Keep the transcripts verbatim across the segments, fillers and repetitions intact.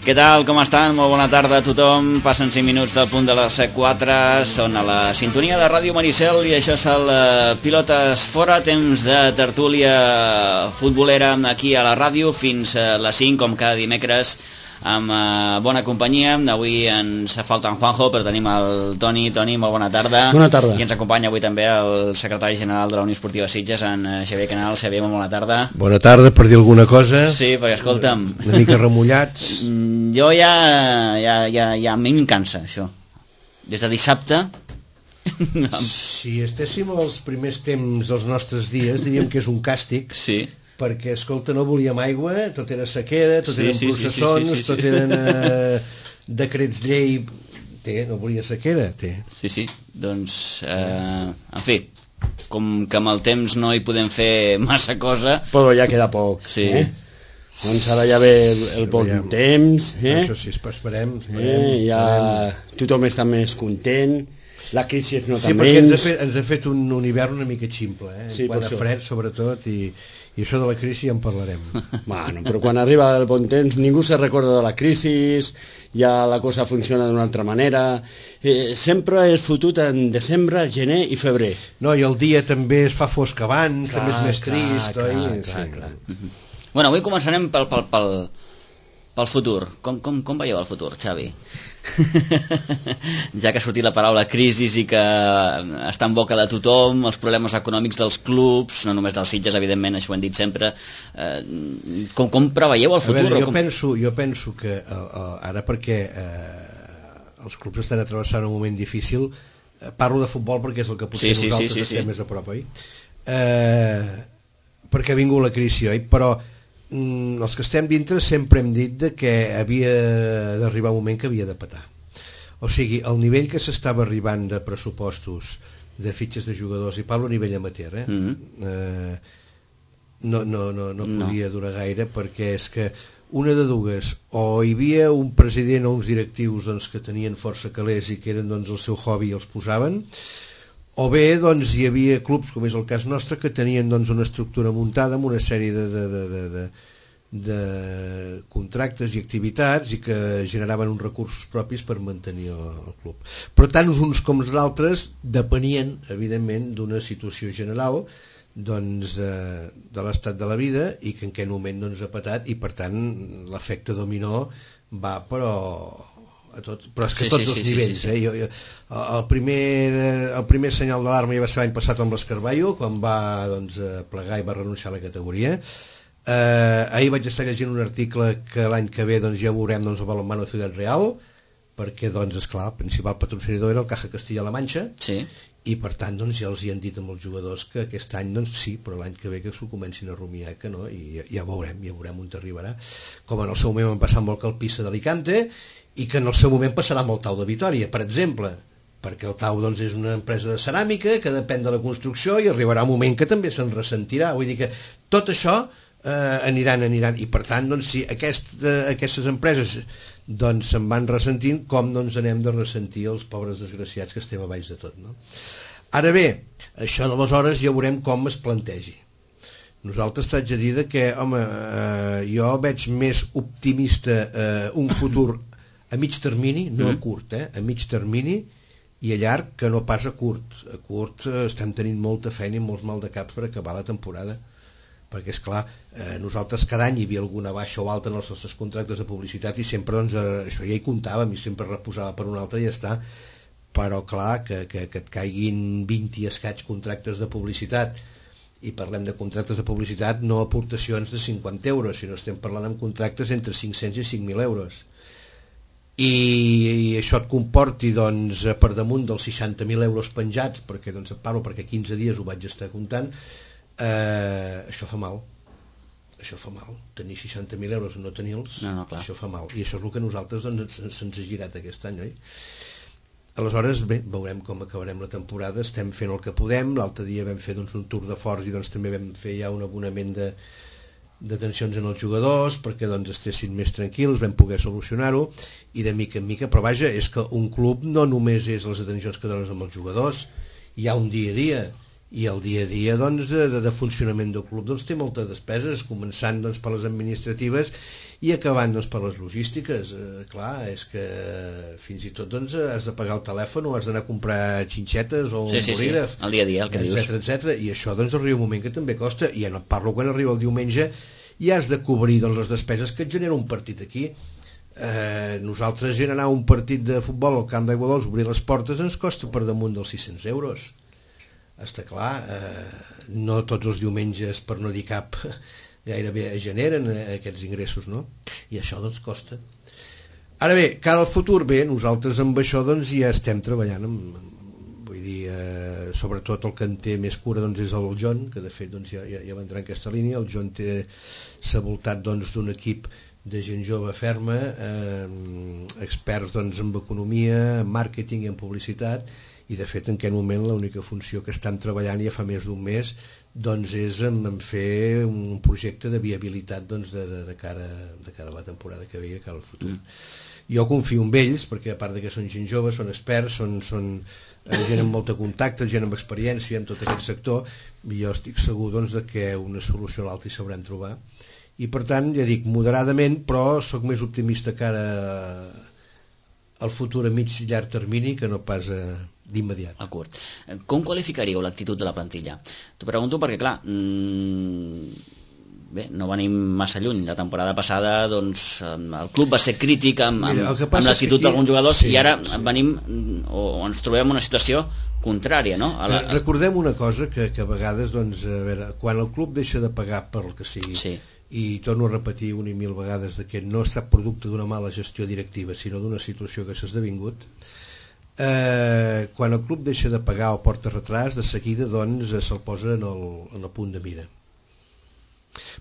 Què tal, com estan? Molt bona tarda a tothom. Passen cinc minuts del punt de les quatre. Són a la sintonia de Ràdio Maricel i això és el Pilotes Fora, temps de tertúlia futbolera aquí a la ràdio fins a les cinc, com cada dimecres, amb uh, bona companyia. Avui ens falta en Juanjo, però tenim el Toni. Toni, molt bona tarda. Bona tarda. I ens acompanya avui també el secretari general de la Unió Esportiva Sitges, en Xavier Canal. Xavier, molt bona tarda. Bona tarda, per dir alguna cosa. Sí, perquè escolta'm, una mica remullats. Jo ja, ja, ja, ja a mi em cansa això. Des de dissabte... Si estéssim als primers temps dels nostres dies, diríem que és un càstig. Sí. Perquè, escolta, no volíem aigua, tot era sequera, tot sí, eren sí, processons, sí, sí, sí, sí, tot eren eh, decrets llei. Té, no volia sequera, té. Sí, sí, doncs, eh, en fi, com que amb el temps no hi podem fer massa cosa... Però ja queda poc, sí. Eh? Doncs ara ja ve el, el bon ja, temps, eh? Això sí, esperem, esperem, eh? Ja esperem. Tothom està més content, la crisi es nota sí, menys... Sí, perquè ens ha, fet, ens ha fet un, un hivern una mica ximple, eh? Sí, quan a fred, sobretot, i... I això de la crisi ja en parlarem. Bueno, però quan arriba el bon temps ningú se recorda de la crisi, ja la cosa funciona d'una altra manera. Eh, sempre és fotut en desembre, gener i febrer. No, i el dia també es fa fosc abans, clar, també és més clar, trist. Clar, oi? clar, sí. clar. Uh-huh. Bueno, avui començarem pel, pel, pel, pel futur. Com, com, com veieu el futur, Xavi? Ja que ha sortit la paraula crisi i que està en boca de tothom, els problemes econòmics dels clubs, no només dels Sitges, evidentment, això ho hem dit sempre, eh, com, com preveieu el futur? A veure, jo, com... penso, jo penso que eh, ara, perquè eh, els clubs estan atravessant un moment difícil, eh, parlo de futbol perquè és el que potser sí, nosaltres sí, sí, sí, estem sí. més a prop, oi? Eh, perquè ha vingut la crisi, oi? Però els que estem dintre sempre hem dit de que havia d'arribar un moment que havia de petar. O sigui, el nivell que s'estava arribant de pressupostos de fitxes de jugadors, i parlo a nivell amateur, eh? Mm-hmm. eh, no, no, no, no podia no. durar gaire, perquè és que una de dues, o hi havia un president o uns directius doncs, que tenien força calés i que eren doncs, el seu hobby i els posaven, o bé doncs, hi havia clubs, com és el cas nostre, que tenien doncs, una estructura muntada amb una sèrie de, de, de, de, de, de contractes i activitats i que generaven uns recursos propis per mantenir el, el club. Però tant uns com els altres depenien, evidentment, d'una situació general doncs, de, de l'estat de la vida i que en aquell moment doncs, ha patat i per tant l'efecte dominó va però... a tot, però és que sí, tots sí, els sí, nivells sí, sí. Eh? Jo, jo, el, primer, el primer senyal d'alarma ja va ser l'any passat amb l'Escarballo, quan va doncs, plegar i va renunciar a la categoria. eh, ahir vaig estar llegint un article que l'any que ve doncs, ja veurem doncs, el balonmano Ciutat Real, perquè doncs, esclar, el principal patrocinador era el Caja Castilla-La Manxa, sí. i per tant doncs, ja els hi han dit amb els jugadors que aquest any doncs, sí, però l'any que ve que s'ho comencin a rumiar, que no, i ja, ja veurem, ja veurem on t'arribarà, com en el seu moment van passar amb el Calpissa d'Alicante i que en el seu moment passarà amb el Tau de Vitòria, per exemple, perquè el Tau doncs, és una empresa de ceràmica que depèn de la construcció i arribarà un moment que també se'n ressentirà. Vull dir que tot això eh, aniran, aniran, i per tant, doncs, si aquest, eh, aquestes empreses doncs, se'n van ressentint, com doncs, anem de ressentir els pobres desgraciats que estem a baix de tot, no? Ara bé, això d'aleshores ja veurem com es plantegi. Nosaltres t'haig de dir que, home, eh, jo veig més optimista eh, un futur a mig termini, no a curt, eh? a mig termini i a llarg, que no pas a curt. A curt eh, estem tenint molta feina i molts mal de caps per acabar la temporada, perquè és clar, eh, nosaltres cada any hi havia alguna baixa o alta en els nostres contractes de publicitat i sempre doncs, eh, això ja hi comptàvem i sempre reposava per un altre i ja està, però clar, que, que, que et caiguin vint i escaig contractes de publicitat, i parlem de contractes de publicitat, no aportacions de cinquanta euros, sinó estem parlant amb contractes entre cinc-cents i cinc mil euros. I, i això et comporti doncs, per damunt dels seixanta mil euros penjats, perquè doncs, et parlo perquè quinze dies ho vaig estar comptant, eh, això fa mal. Això fa mal. Tenir seixanta mil euros o no tenir-los, no, no, això fa mal. I això és el que nosaltres doncs, se'ns ha girat aquest any, oi? Aleshores, bé, veurem com acabarem la temporada, estem fent el que podem, l'altre dia vam fer doncs, un tour de forts i doncs, també vam fer ja un abonament de detencions en els jugadors perquè doncs estessin més tranquils, vam poder solucionar-ho i de mica en mica, però vaja, és que un club no només és les detencions que dones amb els jugadors, hi ha un dia a dia i el dia a dia doncs, de, de, de funcionament del club doncs, té moltes despeses, començant doncs, per les administratives I acabant doncs, per les logístiques, eh, clar, és que fins i tot doncs, has de pagar el telèfon o has d'anar a comprar xinxetes o sí, un sí, bolígraf, sí, el dia a dia, el que etcètera, dius. etcètera. I això doncs, arriba un moment que també costa, i ja no parlo quan arriba el diumenge i has de cobrir doncs, les despeses que et genera un partit aquí. Eh, nosaltres gent anar a un partit de futbol al camp d'Aiguadols, obrir les portes ens costa per damunt dels sis-cents euros. Està clar, eh, no tots els diumenges, per no dir cap, gairebé generen aquests ingressos, no? I això doncs costa. Ara bé, cara al futur, bé, nosaltres amb això doncs ja estem treballant amb, vull dir, eh, sobretot el que en té més cura doncs és el John, que de fet doncs ja, ja, ja va entrar en aquesta línia. El John té, s'ha voltat doncs d'un equip de gent jove ferma, eh, experts doncs en economia, en màrqueting i en publicitat, i de fet en aquest moment l'única funció que estan treballant ja fa més d'un mes doncs és en, en fer un projecte de viabilitat doncs, de, de, de, cara, de cara a la temporada que ve i de cara al futur. Mm. Jo confio en ells perquè a part de que són gent jove, són experts, són, són gent amb molta contacte, gent amb experiència en tot aquest sector, i jo estic segur doncs, de que una solució a l'altra hi sabran trobar. I per tant, ja dic, moderadament, però sóc més optimista cara al futur a mig i llarg termini que no pas a d'immediat. A curt. Com qualificaríeu l'actitud de la plantilla? T'ho pregunto perquè, clar, mmm, bé, no venim massa lluny. La temporada passada doncs, el club va ser crític amb, amb, Mira, amb l'actitud d'alguns jugadors, sí, i ara venim o ens trobem en una situació contrària, no? A la... Recordem una cosa que, que a vegades doncs, a veure, quan el club deixa de pagar per el que sigui, sí, i torno a repetir una i mil vegades de que no ha estat producte d'una mala gestió directiva sinó d'una situació que s'ha esdevingut, Eh, quan el club deixa de pagar o porta retras, de seguida doncs se'l posa en el, en el punt de mira.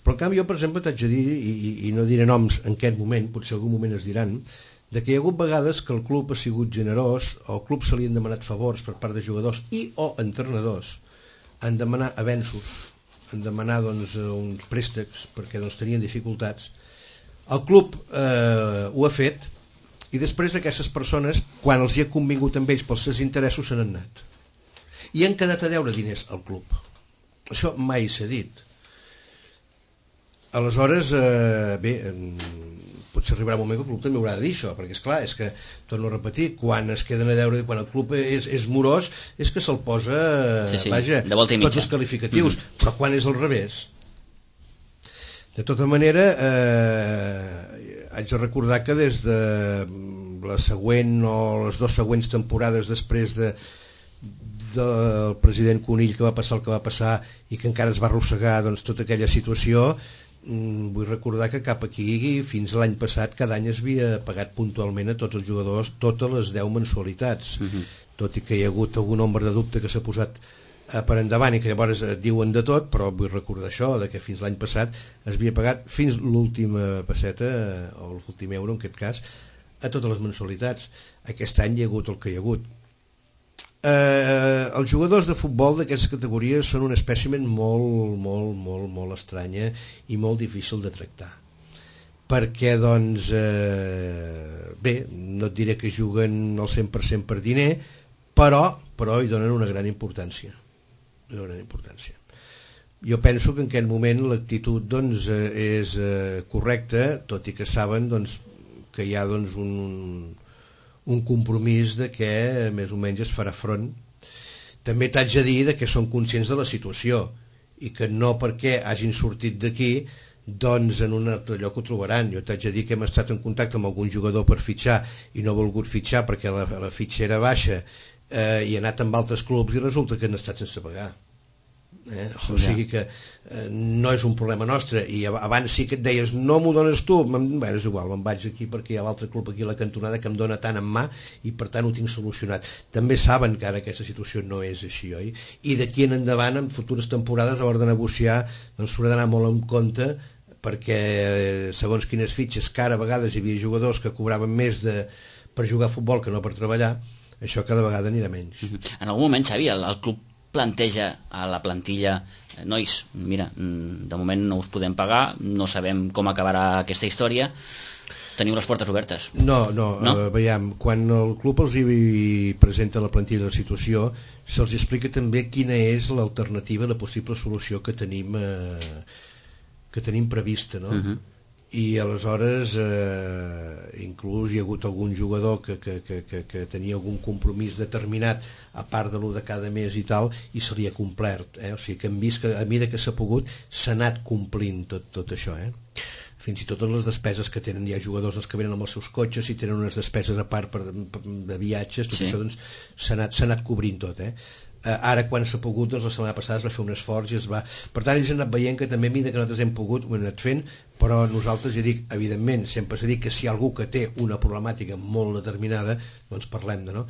Però en canvi jo, per exemple, t'haig de dir, i, i, i no diré noms en aquest moment, potser algun moment es diran, de que hi ha hagut vegades que el club ha sigut generós o al club se li han demanat favors per part de jugadors i o entrenadors, han demanat avenços, han demanat doncs, uns préstecs perquè doncs, tenien dificultats. El club eh, ho ha fet, i després aquestes persones, quan els hi ha convingut amb ells pels seus interessos, se n'han anat i han quedat a deure diners al club. Això mai s'ha dit. Aleshores, eh, bé, potser arribarà un moment que el club també haurà de dir això, perquè és clar, és que, torno a repetir, quan es queden a deure, quan el club és, és morós, és que se'l posa, sí, sí, vaja, tots els qualificatius, mm-hmm. Però quan és al revés? De tota manera, eh, haig de recordar que des de la següent o les dues següents temporades després de, del president Conill que va passar el que va passar i que encara es va arrossegar doncs, tota aquella situació, vull recordar que cap aquí fins l'any passat cada any es havia pagat puntualment a tots els jugadors totes les deu mensualitats, mm-hmm. Tot i que hi ha hagut algun ombra de dubte que s'ha posat per endavant i que llavors et diuen de tot, però vull recordar això, de que fins l'any passat es havia pagat fins l'última passeta o l'últim euro en aquest cas a totes les mensualitats. Aquest any hi ha hagut el que hi ha hagut. Eh, els jugadors de futbol d'aquestes categories són un espècimen molt, molt, molt, molt estranya i molt difícil de tractar. Perquè, doncs, eh, bé, no et diré que juguen al cent per cent per diner, però, però hi donen una gran importància. Una gran importància. Jo penso que en aquest moment l'actitud doncs, és eh, correcta, tot i que saben doncs, que hi ha doncs, un, un compromís de que més o menys es farà front. També t'haig de dir que són conscients de la situació i que no perquè hagin sortit d'aquí doncs en un altre lloc ho trobaran. Jo t'haig de dir que hem estat en contacte amb algun jugador per fitxar i no ha volgut fitxar perquè la, la fitxa era baixa, eh, i ha anat amb altres clubs i resulta que han estat sense pagar. Eh? O sigui que eh, no és un problema nostre. I abans sí que et deies no m'ho dones tu, bueno, és igual, me'n vaig aquí perquè hi ha l'altre club aquí a la cantonada que em dona tant en mà i per tant ho tinc solucionat. També saben que ara aquesta situació no és així, oi? I d'aquí en endavant en futures temporades a l'hora de negociar doncs s'haurà d'anar molt en compte perquè segons quines fitxes que ara a vegades hi havia jugadors que cobraven més de, per jugar a futbol que no per treballar, això cada vegada anirà menys. En algun moment, Xavi, el, el club planteja a la plantilla, nois, mira, de moment no us podem pagar, no sabem com acabarà aquesta història, teniu les portes obertes. No, no, no? Uh, veiem, quan el club els hi presenta la plantilla de la situació, se'ls explica també quina és l'alternativa, la possible solució que tenim, eh, que tenim prevista, no? Uh-huh. i aleshores eh, inclús hi ha hagut algun jugador que, que, que, que, que tenia algun compromís determinat a part de lo de cada mes i tal, i se li ha complert, eh? O sigui que hem vist que a mesura que s'ha pogut s'ha anat complint tot, tot això, eh? Fins i tot les despeses que tenen, hi ha jugadors que venen amb els seus cotxes i tenen unes despeses a part per, per, de viatges, tot sí. Això doncs, s'ha anat, s'ha anat cobrint tot, eh? Ara quan s'ha pogut, doncs la setmana passada es va fer un esforç i es va... Per tant, ells han anat veient que també a mesura que nosaltres hem pogut ho hem anat fent, però nosaltres, ja dic, evidentment sempre s'ha dit que si hi ha algú que té una problemàtica molt determinada, doncs parlem-ne, no?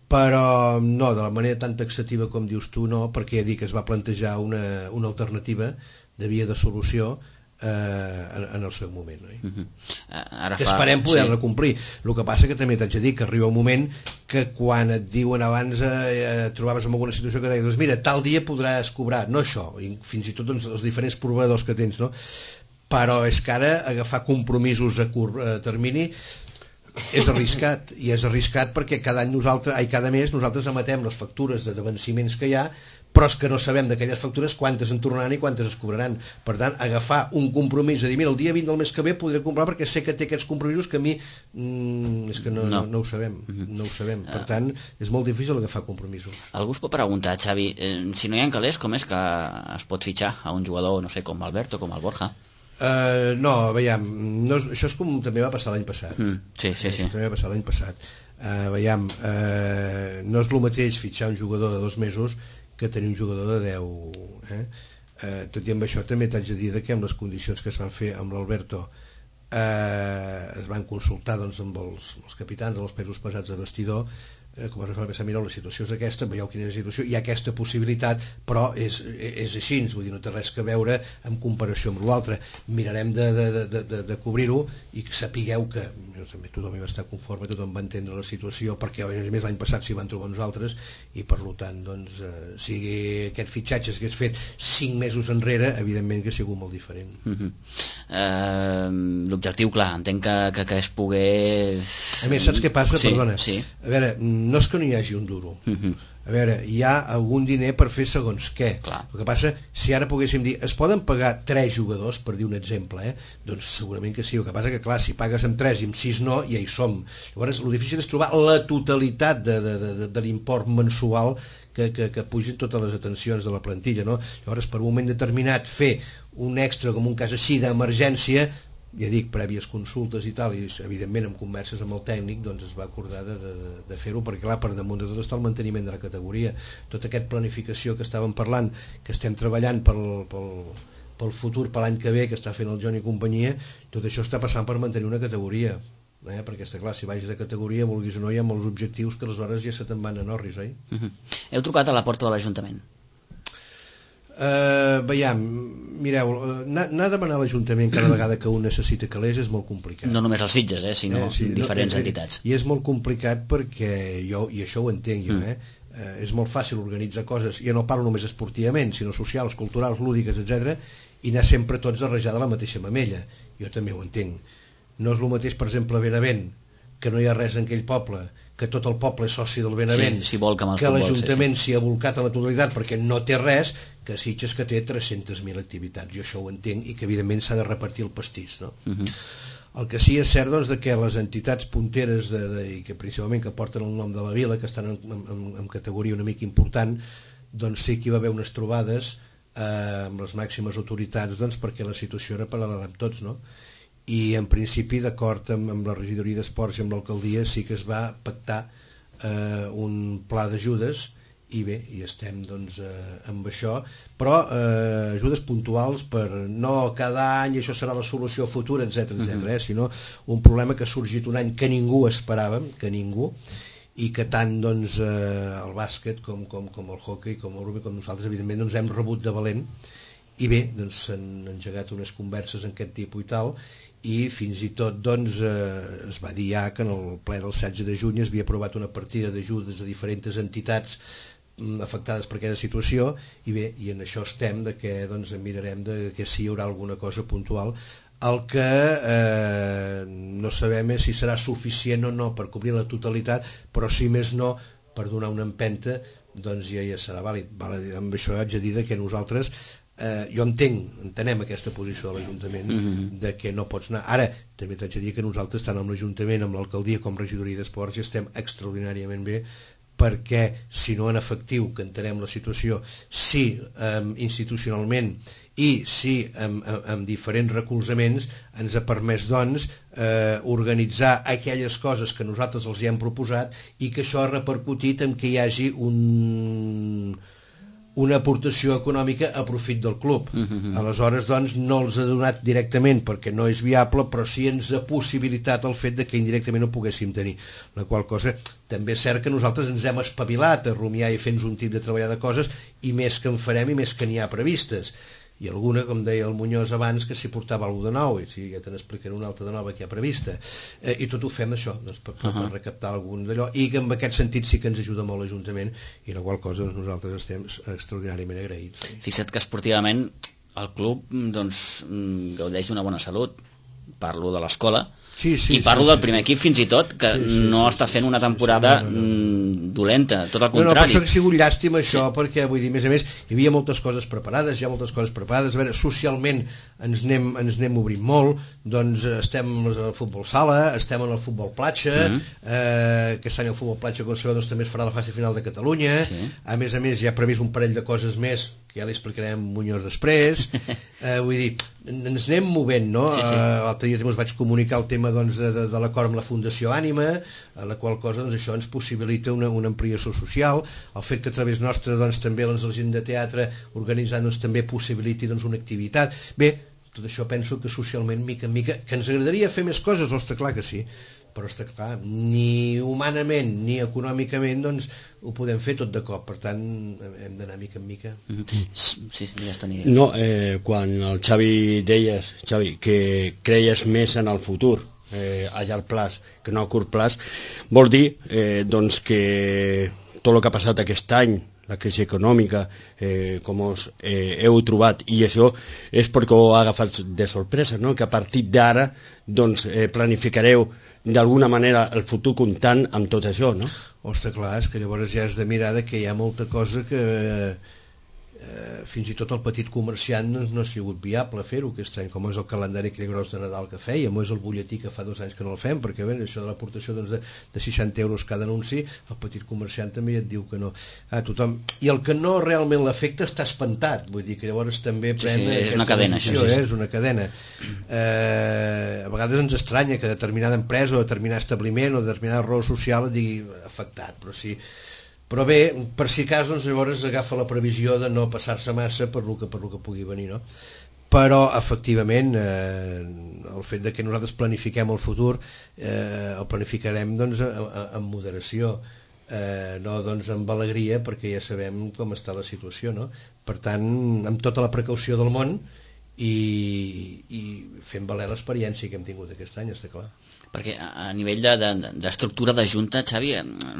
Però no, de la manera tan taxativa com dius tu, no, perquè ja dic que es va plantejar una, una alternativa de via de solució eh, en, en el seu moment, no? Uh-huh. Ara que fa... esperem poder-la sí. complir. El que passa que també t'haig de dir que arriba un moment que quan et diuen abans eh, et trobaves en alguna situació que deies, doncs mira, tal dia podràs cobrar, no això, i fins i tot doncs, els diferents proveïdors que tens, no? Però és que ara agafar compromisos a curt eh, termini és arriscat, i és arriscat perquè cada any nosaltres, ai, cada mes nosaltres emetem les factures de venciments que hi ha, però és que no sabem d'aquelles factures quantes en tornaran i quantes es cobraran. Per tant, agafar un compromís de dir, mira, el dia vint del mes que ve podré comprar perquè sé que té aquests compromisos que a mi mm, és que no, no. no, no ho sabem, no ho sabem. Per tant, és molt difícil agafar compromisos. Algú es pot preguntar, Xavi, eh, si no hi ha calés, com és que es pot fitxar a un jugador, no sé, com Alberto, com el Borja? Uh, no, veiem, no, això és com també va passar l'any passat. Mm, sí, sí, sí. També va passar l'any passat. Uh, veiem, uh, no és el mateix fitxar un jugador de dos mesos que tenir un jugador de deu. Eh? Uh, tot i amb això també t'haig de dir que amb les condicions que es van fer amb l'Alberto uh, es van consultar doncs, amb els, els capitans, amb els pesos pesats de vestidor, com a referència, mireu, la situació és aquesta, veieu quina és la situació, hi ha aquesta possibilitat, però és, és així, vull dir, no té res que veure en comparació amb l'altre. Mirarem de, de, de, de, de cobrir-ho i que sapigueu que també tothom hi va estar conforme, tothom va entendre la situació, perquè a més l'any passat s'hi van trobar nosaltres, i per tant, doncs, eh, si aquest fitxatge s'hagués fet cinc mesos enrere, evidentment que ha sigut molt diferent. Uh-huh. uh, L'objectiu, clar, entenc que, que, que es pogués... A més, saps què passa? Sí, Perdona. Sí. A veure, no és que no hi hagi un duro. Uh-huh. A veure, hi ha algun diner per fer segons què. Clar. El que passa, si ara poguéssim dir, es poden pagar tres jugadors, per dir un exemple, eh? Doncs segurament que sí. El que passa que, clar, si pagues amb tres i amb sis no, ja hi som. Llavors, el difícil és trobar la totalitat de, de, de, de l'import mensual que, que, que pugin totes les atencions de la plantilla, no? Llavors, per un moment determinat, fer un extra, com un cas així, d'emergència, ja dic, prèvies consultes i tal, i evidentment en converses amb el tècnic doncs es va acordar de, de, de fer-ho, perquè clar, per damunt de tot està el manteniment de la categoria. Tota aquesta planificació que estàvem parlant, que estem treballant pel, pel, pel futur, per l'any que ve, que està fent el Johnny i companyia, tot això està passant per mantenir una categoria, eh? Perquè està clar, si vagis de categoria, vulguis o no, hi ha molts objectius que aleshores ja se te'n van a Norris, oi? Uh-huh. Heu trucat a la porta de l'Ajuntament? Uh, veiem, mireu, anar, anar a demanar a l'Ajuntament cada vegada que un necessita calés és molt complicat. No només els Sitges, eh, sinó eh, sí, diferents no, entitats. I és molt complicat perquè jo, i això ho entenc jo, mm. eh, uh, és molt fàcil organitzar coses, ja no parlo només esportivament, sinó socials, culturals, lúdiques, etcètera, i anar sempre tots a rajar de la mateixa mamella. Jo també ho entenc. No és el mateix, per exemple, a Benavent, que no hi ha res en aquell poble, que tot el poble és soci del Benavent, sí, si vol que, que l'Ajuntament s'hi sí, sí. ha volcat a la totalitat perquè no té res, que Sitges que té tres-centes mil activitats. Jo això ho entenc i que evidentment s'ha de repartir el pastís, no? Uh-huh. El que sí és cert, doncs, de que les entitats punteres de, de, i que principalment que porten el nom de la vila, que estan en, en, en categoria una mica important, doncs sí que hi va haver unes trobades eh, amb les màximes autoritats, doncs, perquè la situació era paral·lela amb tots, no? I en principi, d'acord amb, amb la regidoria d'esports i amb l'alcaldia, sí que es va pactar eh, un pla d'ajudes, i bé, i estem doncs eh, amb això, però eh, ajudes puntuals per no cada any això serà la solució futura, etcètera, etcètera, eh, sinó un problema que ha sorgit un any que ningú esperàvem, que ningú, i que tant doncs, eh, el bàsquet com, com, com el hockey, com el rugby, com nosaltres, evidentment, doncs hem rebut de valent, i bé, doncs s'han engegat unes converses en aquest tipus i tal, i fins i tot doncs, eh, es va dir ja que en el ple del setze de juny es havia aprovat una partida d'ajudes a diferents entitats afectades per aquesta situació, i bé, i en això estem, de que doncs mirarem de que si hi haurà alguna cosa puntual. El que eh, no sabem és si serà suficient o no per cobrir la totalitat, però si més no per donar una empenta, doncs ja, ja serà vàlid. Vale, amb això haig de dir que nosaltres Eh, jo entenc, entenem aquesta posició de l'Ajuntament, mm-hmm. de que no pots anar. Ara, també t'haig de dir que nosaltres, tant amb l'Ajuntament, amb l'alcaldia com regidoria d'esports, ja estem extraordinàriament bé, perquè si no en efectiu, que entenem la situació, si eh, institucionalment i si amb, amb, amb diferents recolzaments ens ha permès doncs eh, organitzar aquelles coses que nosaltres els hi hem proposat i que això ha repercutit en que hi hagi un... una aportació econòmica a profit del club. Uh-huh. Aleshores, doncs, no els ha donat directament perquè no és viable, però sí ens ha possibilitat el fet de que indirectament ho poguéssim tenir. La qual cosa, també és cert que nosaltres ens hem espavilat a rumiar i fer-nos un tip de treballar de coses, i més que en farem i més que n'hi ha previstes. I alguna, com deia el Muñoz abans, que s'hi portava alguna de nou, i sí, ja te n'explicaré una altra de nova que hi ha prevista. Eh, I tot ho fem això, doncs, per, per, uh-huh. per recaptar algun d'allò, i que en aquest sentit sí que ens ajuda molt l'Ajuntament, i la qual cosa doncs, nosaltres estem extraordinàriament agraïts. Fixa't que esportivament el club doncs, gaudeix d'una bona salut. Parlo de l'escola, sí, sí, i parlo sí, del primer sí, equip fins i tot, que sí, sí, no sí, està fent una temporada sí, sí, no, no, no. dolenta, tot el contrari. No, no, per això que ha sigut llàstima això, sí. perquè vull dir, a més a més, hi havia moltes coses preparades, hi ha moltes coses preparades, a veure, socialment ens anem, ens anem obrint molt, doncs estem al futbol sala, estem en el futbol platja, mm-hmm. eh, aquest any el futbol platja, com sabeu, doncs, també es farà la fase final de Catalunya, sí. a més a més hi ha previst un parell de coses més, que ja li explicarem Muñoz després, eh, vull dir, ens anem movent, no? Sí, sí. Eh, l'altre dia també us vaig comunicar el tema doncs, de, de, de l'acord amb la Fundació Ànima, a la qual cosa doncs, això ens possibilita una, una ampliació social, el fet que a través nostre doncs, també doncs, la gent de teatre organitzant doncs, també possibiliti doncs, una activitat. Bé, tot això penso que socialment, mica en mica, que ens agradaria fer més coses, ostres, clar que sí, però està clar, ni humanament ni econòmicament doncs ho podem fer tot de cop, per tant hem d'anar mica en mica. Sí, sí, ja està. No, eh, quan el Xavi deies, Xavi, que creies més en el futur eh, a llarg plaç que no a curt plaç, vol dir eh, doncs que tot el que ha passat aquest any, la crisi econòmica, eh, com us eh, heu trobat, i això és perquè ho ha agafat de sorpresa, no? Que a partir d'ara doncs, eh, planificareu d'alguna manera el futur comptant amb tot això, no? Ostres, clar, és que llavors ja has de mirar que hi ha molta cosa que eh, fins i tot el petit comerciant no, no ha sigut viable fer-ho aquest any, com és el calendari que gros de Nadal que fèiem, o és el butlletí que fa dos anys que no el fem, perquè bé, això de l'aportació doncs, de, de seixanta euros cada anunci, el petit comerciant també et diu que no. Ah, tothom... I el que no realment l'afecta està espantat, vull dir que llavors també pren... Sí, sí, és una cadena, decisió, això, sí, sí. Eh? És una cadena. Eh, a vegades ens estranya que determinada empresa o determinat establiment o determinada raó social et digui afectat, però sí. Però bé, per si cas, doncs, llavors agafa la previsió de no passar-se massa per lo que, per lo que pugui venir, no? Però, efectivament, eh, el fet de que nosaltres planifiquem el futur, eh, el planificarem doncs, amb moderació, eh, no doncs, amb alegria, perquè ja sabem com està la situació, no? Per tant, amb tota la precaució del món i, i fent valer l'experiència que hem tingut aquest any, està clar. Perquè a nivell d'estructura de, de, de junta, Xavi,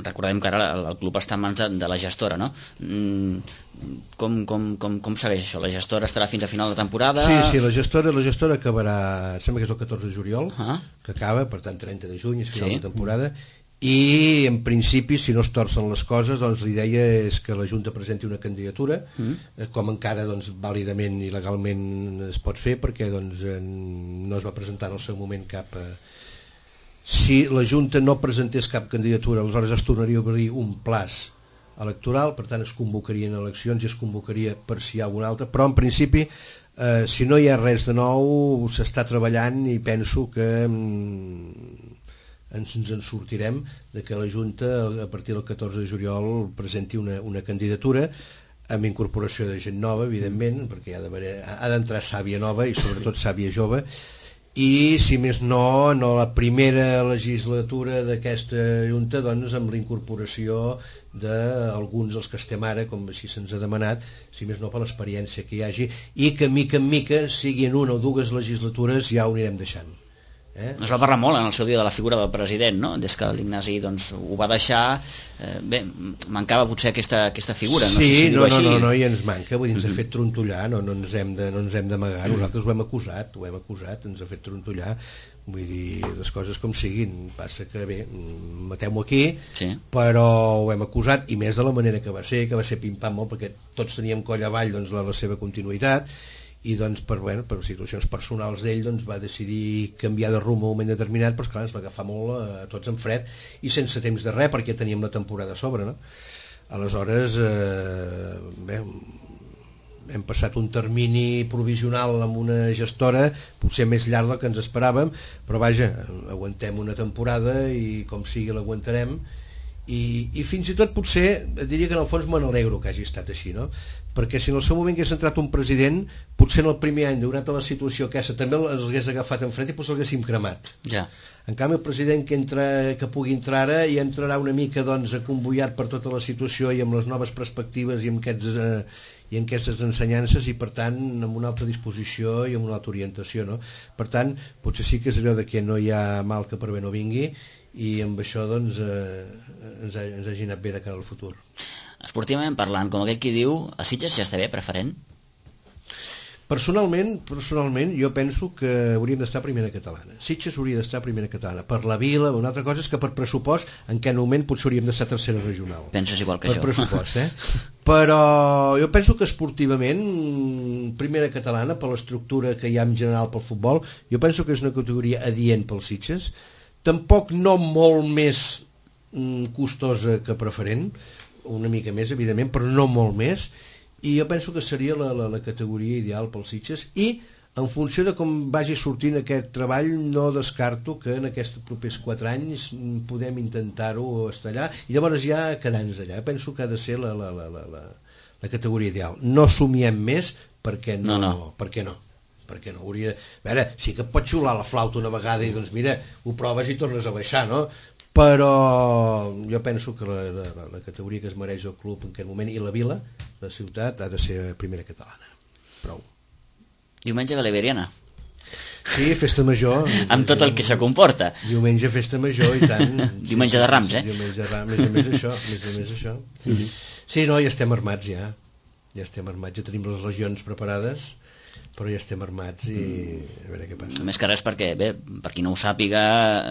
recordem que ara el, el club està en mans de, de la gestora, no? Com, com, com, com segueix això? La gestora estarà fins a final de temporada? Sí, sí, la gestora, la gestora acabarà, sembla que és el catorze de juliol, uh-huh. que acaba, per tant trenta de juny és final sí. de temporada, i en principi, si no es torcen les coses, doncs l'idea és que la Junta presenti una candidatura, uh-huh. com encara doncs, vàlidament i legalment es pot fer, perquè doncs, no es va presentar en el seu moment cap... Eh, si la Junta no presentés cap candidatura, aleshores es tornaria a obrir un plaç electoral, per tant es convocarien eleccions i es convocaria per si hi ha alguna altra, però en principi eh, si no hi ha res de nou s'està treballant i penso que mm, ens, ens en sortirem de que la Junta a partir del catorze de juliol presenti una, una candidatura amb incorporació de gent nova, evidentment, perquè ha d'haver, ha d'entrar sàvia nova i sobretot sàvia jove, i si més no, no la primera legislatura d'aquesta Junta doncs amb la incorporació d'alguns dels que estem ara, com així se'ns ha demanat, si més no per l'experiència que hi hagi, i que mica en mica, siguin una o dues legislatures, ja ho anirem deixant. Eh? Es va parlar molt en el seu dia de la figura del president, no? Des que l'Ignasi doncs, ho va deixar, eh, bé, mancava potser aquesta, aquesta figura, no sí, sé si no, no, no, no, no, i ens manca, vull dir, ens ha fet trontollar, no, no ens hem de, no ens hem d'amagar, nosaltres ho hem acusat, ho hem acusat, ens ha fet trontollar, vull dir, les coses com siguin, passa que bé, mateu-m'ho aquí, sí. Però ho hem acusat, i més de la manera que va ser, que va ser pim-pam molt, perquè tots teníem coll avall doncs, la, la seva continuïtat, i doncs per, bueno, per situacions personals d'ell doncs, va decidir canviar de rumb a un moment determinat, però esclar, ens va agafar molt a, a tots en fred i sense temps de res, perquè teníem la temporada a sobre, no? Aleshores eh, bé, hem passat un termini provisional amb una gestora potser més llarg del que ens esperàvem, però vaja, aguantem una temporada i com sigui l'aguantarem, i, i fins i tot potser diria que en el fons me n'alegro que hagi estat així, no? Perquè si en el seu moment hagués entrat un president, potser en el primer any, donat la situació aquesta, també els hagués agafat en fred i potser l'haguéssim cremat. Ja. En canvi, el president que, entra, que pugui entrar ara i entrarà una mica doncs, acomboiat per tota la situació i amb les noves perspectives i amb aquests... Eh, i en aquestes ensenyances i per tant amb una altra disposició i amb una altra orientació, no? Per tant, potser sí que és allò de que no hi ha mal que per bé no vingui i amb això doncs eh, ens, ha, ens hagi anat bé de cara al futur. Esportivament parlant, com aquell qui diu, a Sitges ja està bé, preferent? Personalment, personalment jo penso que hauríem d'estar a primera catalana. Sitges hauria d'estar a primera catalana. Per la vila, una altra cosa és que per pressupost en aquest moment potser hauríem d'estar a tercera regional. Penses igual que per jo. Per pressupost, eh? Però jo penso que esportivament primera catalana, per l'estructura que hi ha en general pel futbol, jo penso que és una categoria adient pels Sitges. Tampoc no molt més costosa que preferent, una mica més evidentment, però no molt més, i jo penso que seria la, la, la categoria ideal pels Sitges, i en funció de com vagi sortint aquest treball no descarto que en aquests propers quatre anys podem intentar-ho estar allà i llavors ja quedar-nos allà. Penso que ha de ser la, la, la, la, la, la categoria ideal. No somiem més perquè no, no, no. perquè no perquè no hauria... A veure, sí que pot xiular la flauta una vegada i doncs mira, ho proves i tornes a baixar, no? Però jo penso que la, la, la categoria que es mereix el club en aquest moment i la vila, la ciutat, ha de ser primera catalana. Prou. Diumenge ve l'Iberiana. Sí, festa major. Amb tot el que això comporta. Diumenge festa major i tant. Diumenge de Rams, eh? Diumenge de Rams, més o més això. Més o més això. Mm-hmm. Sí, no, ja estem armats ja. Ja estem armats, ja tenim les legions preparades, però ja estem armats i a veure què passa. Més que res perquè, bé, per qui no ho sàpiga,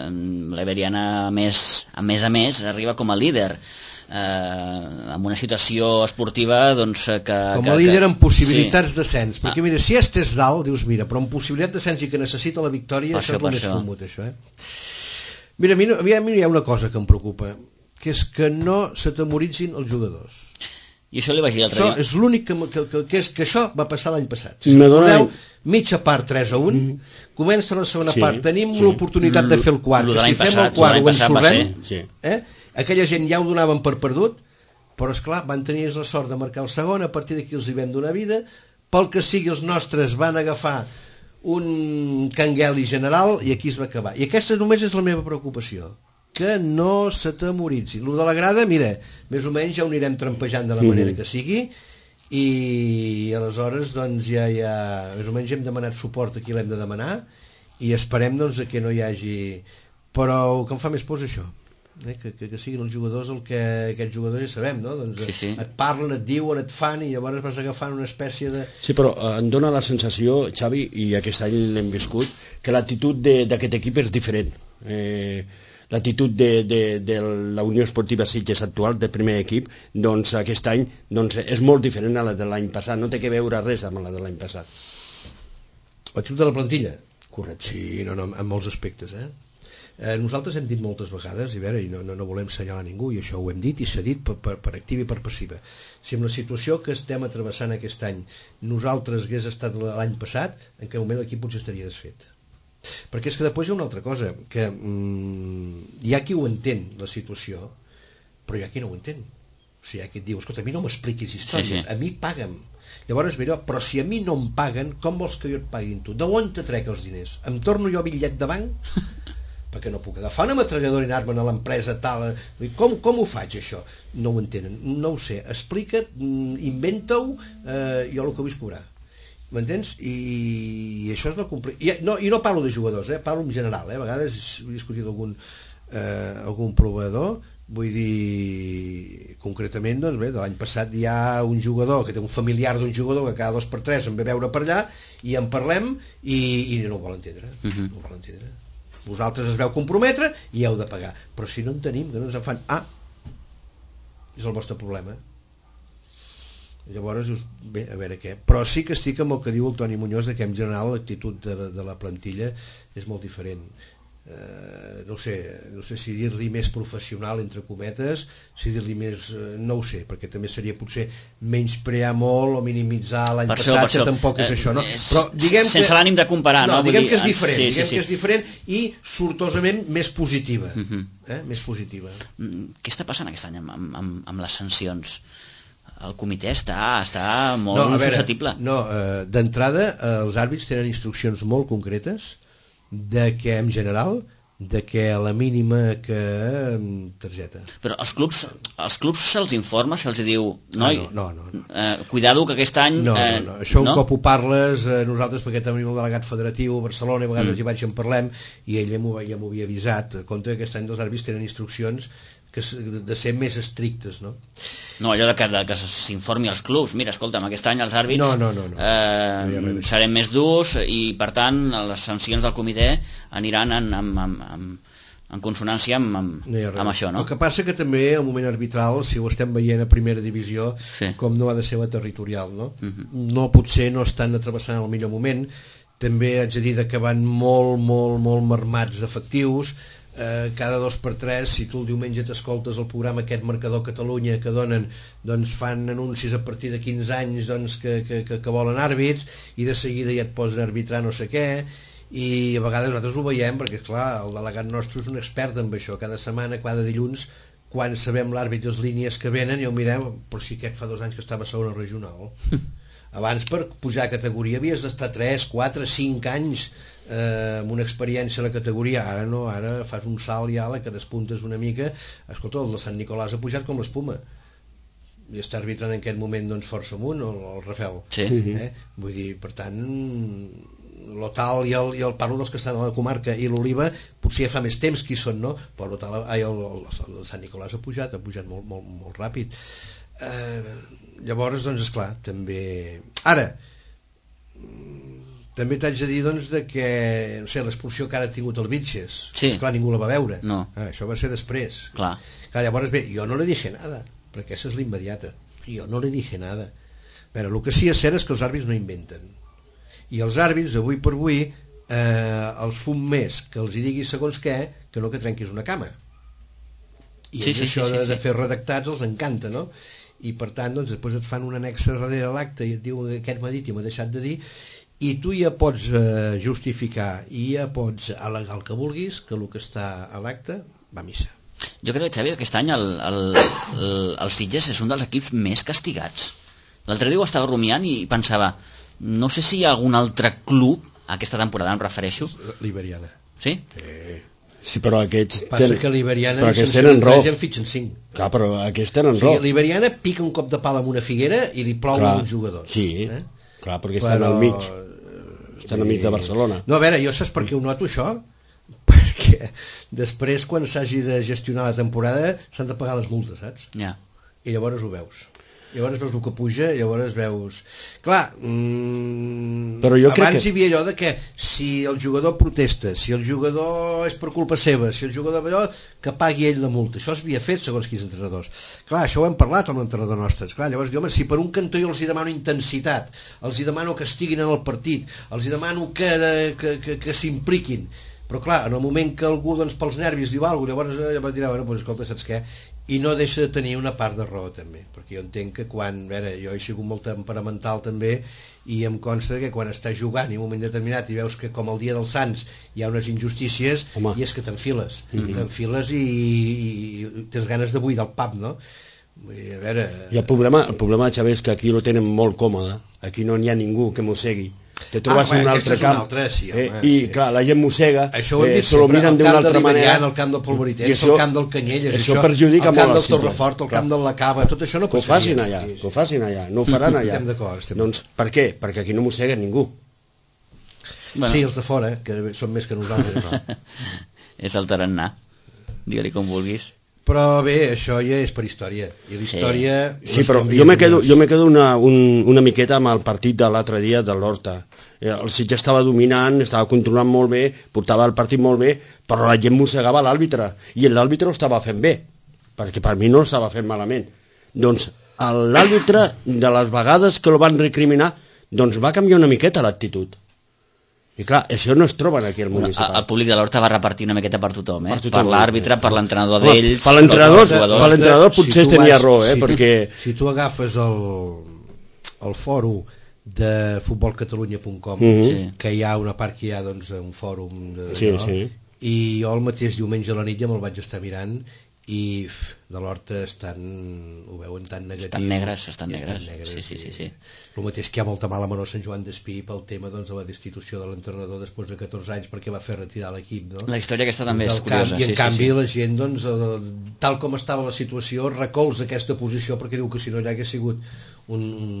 l'Iberiana a més, a més a més arriba com a líder eh, amb una situació esportiva doncs, que... Com a líder amb possibilitats sí. d'ascens, perquè ah. mira, si estés dalt, dius mira, però amb possibilitat d'ascens i que necessita la victòria, per això és el més fumut, això, eh? Mira, a mi, a mi hi ha una cosa que em preocupa, que és que no s'atemoritzin els jugadors. I això li vaig dir l'altre dia. És l'únic que, que, que, que, és, que això va passar l'any passat. Recordeu, mitja part tres a un, mm. comença la segona sí, part, tenim sí. l'oportunitat de fer el quart, que si fem el quart ho ensorrem, sí. eh? Aquella gent ja ho donaven per perdut, però esclar, van tenir la sort de marcar el segon, a partir d'aquí els hi vam donar vida, pel que sigui els nostres van agafar un cangueli general i aquí es va acabar. I aquesta només és la meva preocupació, que no s'atemoritzin. Lo de la grada, mira, més o menys ja ho anirem trampejant de la manera que sigui i aleshores doncs ja, ja més o menys hem demanat suport a qui l'hem de demanar i esperem doncs que no hi hagi, però el que em fa més por és això, eh? que, que, que siguin els jugadors el que aquests jugadors ja sabem, no? Doncs sí, sí. et parlen, et diuen, et fan i llavors vas agafant una espècie de... Sí, però em dóna la sensació, Xavi, i aquest any l'hem viscut, que l'actitud d'aquest equip és diferent. Eh, l'actitud de, de, de la Unió Esportiva Sitges actual, del primer equip, doncs aquest any doncs, és molt diferent a la de l'any passat, no té que veure res amb la de l'any passat. L'actitud de la plantilla? Correcte. Sí, no, no, en molts aspectes, eh? Eh, nosaltres hem dit moltes vegades, i, veure, i no, no, no volem assenyalar ningú, i això ho hem dit i s'ha dit per, per, per activa i per passiva. Si amb la situació que estem atrevessant aquest any nosaltres hagués estat l'any passat, en aquest moment l'equip potser estaria desfet. Perquè és que després hi ha una altra cosa, que mm, hi ha qui ho entén, la situació, però hi ha qui no ho entén. O sigui, hi ha qui et diu, escolta, a mi no m'expliquis històries, sí, sí. a mi paga'm. Llavors, mira, però si a mi no em paguen, com vols que jo et paguin tu? D'on te trec els diners? Em torno jo bitllet de banc? Perquè no puc agafar una metralladora i anar-me'n a l'empresa tal... Com, com ho faig, això? No ho entenen, no ho sé. Explica't, inventa-ho, eh, jo el que vull és cobrar. M'entens? I, i això és no complir. I no, i no parlo de jugadors, eh? Parlo en general, eh? A vegades he discutit algun, eh, algun proveïdor, vull dir, concretament, doncs bé, de l'any passat hi ha un jugador que té un familiar d'un jugador que cada dos per tres em ve veure per allà i en parlem i, i no ho vol entendre. Uh-huh. No ho vol entendre. vosaltres es veu comprometre i heu de pagar, però si no en tenim, que no ens en fan, ah, és el vostre problema. Llavors dius, bé, a veure què, però sí que estic amb el que diu el Toni Muñoz, de que en general l'actitud de, de la plantilla és molt diferent. Uh, no sé, no sé si dir-li més professional entre cometes, si dir-li més, uh, no ho sé, perquè també seria potser menysprear molt o minimitzar l'any passat, que tampoc és eh, això, no? Però diguem sense que, l'ànim de comparar, no? No, diguem dir, que és diferent, sí, diguem sí, sí. que és diferent i sortosament més positiva, uh -huh. eh? més positiva. Què està passant aquest any amb, amb, amb les sancions? El comitè està, està molt no, veure, susceptible. No, uh, d'entrada, uh, els àrbits tenen instruccions molt concretes de que en general de que a la mínima que targeta. Però els clubs els clubs se'ls informa, se'ls diu noi, ah, no, no, no, no. Eh, cuidado que aquest any no, eh, no, no. Això no? un cop ho parles eh, nosaltres, perquè tenim el delegat federatiu a Barcelona, a vegades mm. hi vaig en parlem i ell ja m'ho ja m'ho havia avisat, a compte que aquest any els àrbits tenen instruccions que de ser més estrictes, no? No, allò de que, de que s'informi als clubs, mira, escolta'm, aquest any els àrbits no, no, no, no. Eh, no serem més durs i per tant les sancions del comitè aniran en, en, en, en, en consonància amb, amb, no amb això, no? El que passa que també el moment arbitral, si ho estem veient a primera divisió, sí. com no ha de ser la territorial, no? Uh -huh. No, potser no estan atravessant el millor moment, també haig de dir que van molt, molt, molt marmats d'efectius. Eh, cada dos per tres, si tu el diumenge t'escoltes el programa aquest Marcador Catalunya que donen, doncs fan anuncis a partir de quinze anys doncs, que, que, que, que volen àrbits i de seguida ja et posen a arbitrar no sé què, i a vegades nosaltres ho veiem perquè clar, el delegat nostre és un expert en això, cada setmana, cada dilluns quan sabem l'àrbit i les línies que venen i ho mirem, però si aquest fa dos anys que estava a segona regional abans per pujar a categoria havies d'estar tres, quatre, cinc anys eh, amb una experiència a la categoria, ara no, ara fas un salt ja, la que despuntes una mica. Escolta, el de Sant Nicolàs ha pujat com l'espuma i està arbitrant en aquest moment doncs força amunt el, el Rafel, sí. eh? Vull dir, per tant l'Otal i el, i el parlo dels que estan a la comarca i l'Oliva potser ja fa més temps que hi són, no? Però l'Otal, ai, el, el, el Sant Nicolàs ha pujat ha pujat molt, molt, molt ràpid. Eh, llavors, doncs, esclar, també... Ara, també t'haig de dir, doncs, de que, no sé, l'expulsió que ara ha tingut el Vitges, sí. Clar, ningú la va veure. No. Ah, això va ser després. Clar. Clar, llavors, bé, jo no li dije nada, perquè aquesta és l'immediata. Jo no li dije nada. Però el que sí és cert és que els àrbits no inventen. I els àrbits, avui per avui, eh, els fum més que els hi diguis segons què, que no que trenquis una cama. I sí, sí, això sí, sí, de, sí. de fer redactats els encanta, no? I per tant doncs, després et fan un annex darrere l'acte i et diu que aquest m'ha dit i m'ha deixat de dir, i tu ja pots eh, justificar i ja pots al·legar el que vulguis, que el que està a l'acte va a missa. Jo crec, Xavi, que aquest any el, el, el, el Sitges és un dels equips més castigats. L'altre dia ho estava rumiant i pensava, no sé si hi ha algun altre club, aquesta temporada em refereixo... L'Iberiana. Sí? Eh... Sí, però aquests... Passa ten... que l'Iberiana en tenen raó. En fitxen cinc. Clar, però aquests tenen raó. O sigui, raó. l'Iberiana pica un cop de pal amb una figuera i li plou clar, uns jugadors. Sí, eh? clar, perquè estan però... al mig. Estan al mig de Barcelona. No, a veure, jo saps per què ho noto, això? Perquè després, quan s'hagi de gestionar la temporada, s'han de pagar les multes, saps? Ja. I llavors ho veus. Llavors veus el que puja, llavors veus... Clar, mmm, però jo abans crec que... hi havia allò de que si el jugador protesta, si el jugador és per culpa seva, si el jugador allò, que pagui ell la multa. Això s'havia fet segons quins entrenadors. Clar, això ho hem parlat amb l'entrenador nostre. Clar, llavors, home, si per un cantó jo els hi demano intensitat, els hi demano que estiguin en el partit, els hi demano que, que, que, que s'impliquin, però clar, en el moment que algú doncs, pels nervis diu alguna cosa, llavors ja va dir, bueno, doncs, escolta, saps què? I no deixa de tenir una part de raó també, perquè jo entenc que quan, a veure, jo he sigut molt temperamental també i em consta que quan estàs jugant i en un moment determinat i veus que com el dia dels Sants hi ha unes injustícies, home, i és que t'enfiles mm-hmm. t'enfiles i, i tens ganes de buidar el pap, no? A veure... I el problema, el problema, Xavi, és que aquí ho tenen molt còmode, aquí no n'hi ha ningú que mossegui. Te trobes ah, en un altre camp altre, sí, home, eh, i sí. clar, la gent mossega, això ho hem dit eh, se lo miren d'una altra manera, el camp del Polvoritens, el camp del Canyelles, això, això perjudica molt el camp del Torrefort, el camp de la Cava, tot això no passaria. Que ho facin allà, que ho facin allà, no ho faran allà. Estem d'acord, estem doncs per què? Perquè aquí no mossega ningú. Bueno. Sí, els de fora, que són més que nosaltres, no? És el tarannà, digue-li com vulguis. Però bé, això ja és per història. I la història... Sí, sí, però jo me quedo, jo me quedo una, un, una miqueta amb el partit de l'altre dia de l'Horta. El Sitges estava dominant, estava controlant molt bé, portava el partit molt bé, però la gent mossegava l'àrbitre, i l'àrbitre ho estava fent bé, perquè per mi no ho estava fent malament. Doncs l'àrbitre, de les vegades que el van recriminar, doncs va canviar una miqueta l'actitud. I clar, això no es troben aquí al municipal. El públic de l'Horta va repartir una miqueta per tothom, eh? Per, tothom, per l'àrbitre, per l'entrenador d'ells... Per l'entrenador potser si tenia raó, eh? Si perquè... Tu, si tu agafes el, el fòrum de futbol catalunya punt com, mm-hmm. que hi ha una part que hi ha doncs, un fòrum de, sí, no? sí. I jo el mateix diumenge a la nit ja me'l vaig estar mirant i f, de l'Horta estan, ho veuen tan negatiu, estan negres, estan negres, estan negres sí, sí, sí, sí. El mateix que hi ha molta mala mano a Sant Joan d'Espí pel tema doncs, de la destitució de l'entrenador després de catorze anys perquè va fer retirar l'equip, no? La història aquesta també és camp, curiosa, i en sí, canvi sí, sí. la gent doncs, eh, tal com estava la situació recolza aquesta posició perquè diu que si no ja hagués sigut un, un,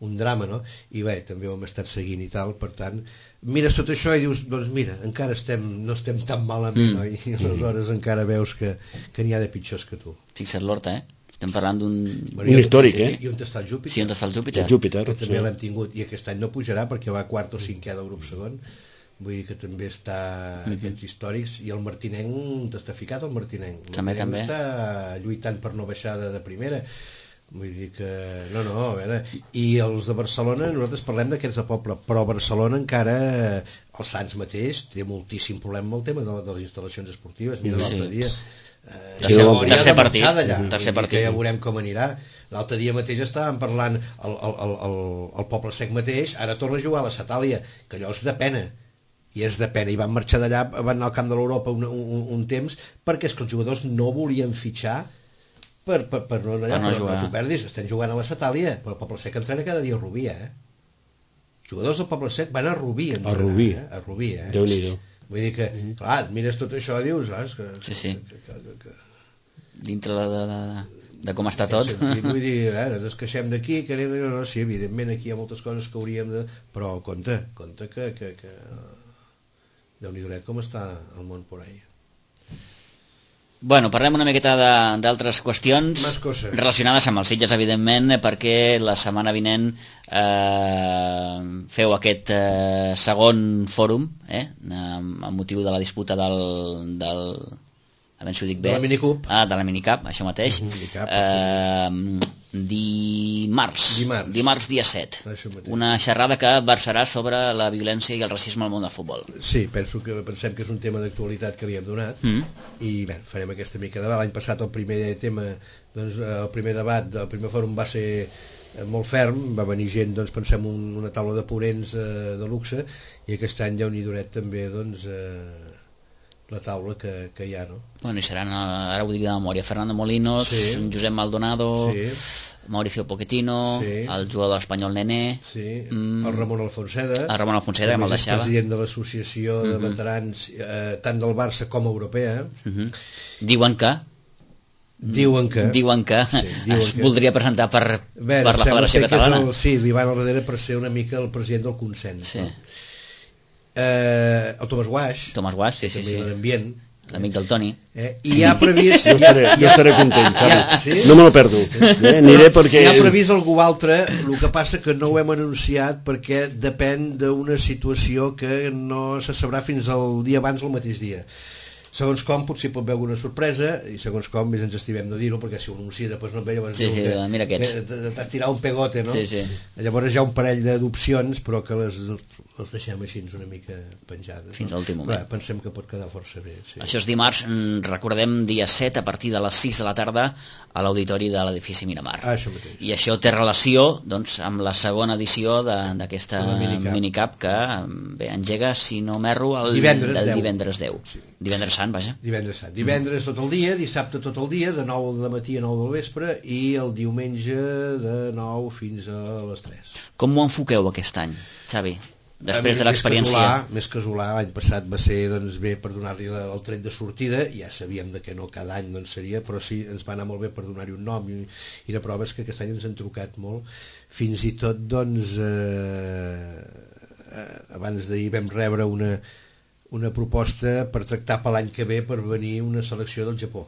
un drama, no? I bé, també ho hem estat seguint i tal, per tant mires tot això i dius, doncs mira, encara estem, no estem tan malament, mm. no? I aleshores mm. encara veus que, que n'hi ha de pitjors que tu. Fixa't l'Horta, eh? Estem parlant d'un... Bueno, un històric, eh? I on està el Júpiter? Sí, on està el Júpiter? El Júpiter, que també sí. l'hem tingut, i aquest any no pujarà perquè va quart o cinquè del grup segon, vull dir que també està mm-hmm. aquests històrics, i el Martinenc t'està ficat, el Martinenc. El també, també. Està lluitant per no baixar de, de primera. Vull dir que... No, no, a veure... I els de Barcelona, nosaltres parlem d'aquests de poble, però Barcelona encara... El Sants mateix té moltíssim problema amb el tema de, de les instal·lacions esportives. Mira, l'altre sí. dia... Eh, tercer, ja tercer partit. Allà, tercer partit. Que ja veurem com anirà. L'altre dia mateix estàvem parlant el, el, el, el, el Poble Sec mateix, ara torna a jugar a la Satàlia, que allò és de pena. I és de pena. I van marxar d'allà, van anar al camp de l'Europa un, un, un temps, perquè és que els jugadors no volien fitxar per, per, per no, allà, per no però, jugar. Tu perdis, estan jugant a la Satàlia, però el Poble Sec entrena cada dia a Rubí, eh? Jugadors del Poble Sec van a Rubí, a Rubí, eh? A Rubí, eh? Déu-n'hi-do. Vull dir que, mm-hmm. clar, mires tot això i dius, ah, que, sí, sí. Que, que, que, que... dintre de, de, de, de com està tot. Sentit, vull dir, a veure, ens queixem d'aquí, que anem, no, no, sí, evidentment aquí hi ha moltes coses que hauríem de... Però compte, compte que... que, que... Déu-n'hi-do com està el món por ahí. Bueno, parlem una miqueta d'altres qüestions relacionades amb els Sitges, evidentment, perquè la setmana vinent eh, feu aquest eh, segon fòrum, eh, amb motiu de la disputa del... del a veure si ho dic bé. De la Minicup. Ah, de la Minicup, això mateix. Minicap, eh, sí. Dimarts, dimarts, dimarts dia set. Una xerrada que versarà sobre la violència i el racisme al món del futbol. Sí, penso que pensem que és un tema d'actualitat que li hem donat mm. i bé, farem aquesta mica de debat. L'any passat el primer tema, doncs, el primer debat, el primer fòrum va ser molt ferm, va venir gent, doncs, pensem, un, una taula de ponents eh, de luxe, i aquest any ja unir duret també, doncs, eh, la taula que, que hi ha, no? Bueno, i seran, ara ho dic de memòria, Fernando Molinos, sí. Josep Maldonado, sí. Mauricio Pochettino, sí. El jugador de l'Espanyol Nené, sí. mm. el Ramon Alfonseda, el Ramon Alfonseda, que me'l deixava, president de l'associació de uh-huh. veterans eh, tant del Barça com europea. Uh-huh. Diuen que Diuen que, diuen que sí, diuen es que. voldria presentar per, Bé, per la Federació Catalana. El, sí, li van al darrere per ser una mica el president del consens. Sí. No? Eh, el Tomàs Guaix, Tomàs Guaix, sí, sí, sí. l'ambient, l'amic del Toni. Eh, I ha previst... Jo estaré, jo estaré content, saps? Sí? No me lo perdo. Eh, aniré perquè... Hi ha previst algú altre, el que passa que no ho hem anunciat perquè depèn d'una situació que no se sabrà fins al dia abans o el mateix dia. Segons com potser pot haver alguna sorpresa, i segons com més ens estimem no dir-ho, perquè si ho anuncia després no et veia, sí, sí, que, mira aquests, que t'has tirat un pegote, no? Sí, sí. Llavors hi ha un parell d'opcions, però que les, les deixem així una mica penjades, fins no? a l'últim moment. Bé, pensem que pot quedar força bé, sí. Això és dimarts, recordem, dia set, a partir de les sis de la tarda, a l'auditori de l'edifici Miramar. Ah, això mateix. I això té relació, doncs, amb la segona edició d'aquesta minicap. minicap que bé, engega, si no m'erro, el divendres del deu. divendres deu. Sí. Divendres sant, vaja. Divendres sant. Divendres tot el dia, dissabte tot el dia, de nou de matí a nou del vespre, i el diumenge de nou fins a les tres. Com ho enfoqueu aquest any, Xavi? Després de l'experiència. Més casolà, l'any passat va ser, doncs, bé per donar-li el tret de sortida, ja sabíem de que no cada any doncs, seria, però sí, ens va anar molt bé per donar-hi un nom, i, i la prova és que aquest any ens han trucat molt, fins i tot, doncs, eh, abans d'ahir vam rebre una, una proposta per tractar per l'any que ve per venir una selecció del Japó.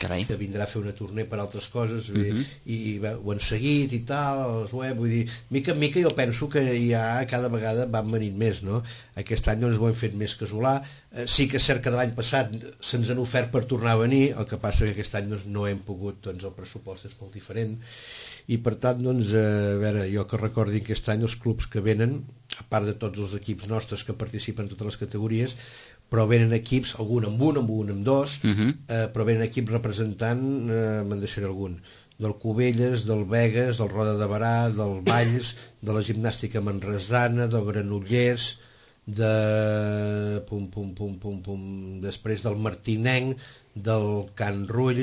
Carai. que vindrà a fer una tournée per altres coses, uh uh-huh. i, i bé, ho han seguit i tal, els web, vull dir, mica en mica jo penso que ja cada vegada van venint més, no? Aquest any doncs ho hem fet més casolà, eh, sí que és cert que de l'any passat se'ns han ofert per tornar a venir, el que passa que aquest any doncs, no hem pogut, doncs el pressupost és molt diferent, i per tant, doncs, eh, a veure, jo que recordi aquest any els clubs que venen, a part de tots els equips nostres que participen en totes les categories, però venen equips, algun amb un, amb un amb dos, uh-huh. eh, però venen equips representant, eh, me'n deixaré algun, del Cubelles, del Begues, del Roda de Barà, del Valls, de la gimnàstica manresana, del Granollers, de pum, pum, pum, pum, pum, després del Martinenc, del Can Rull,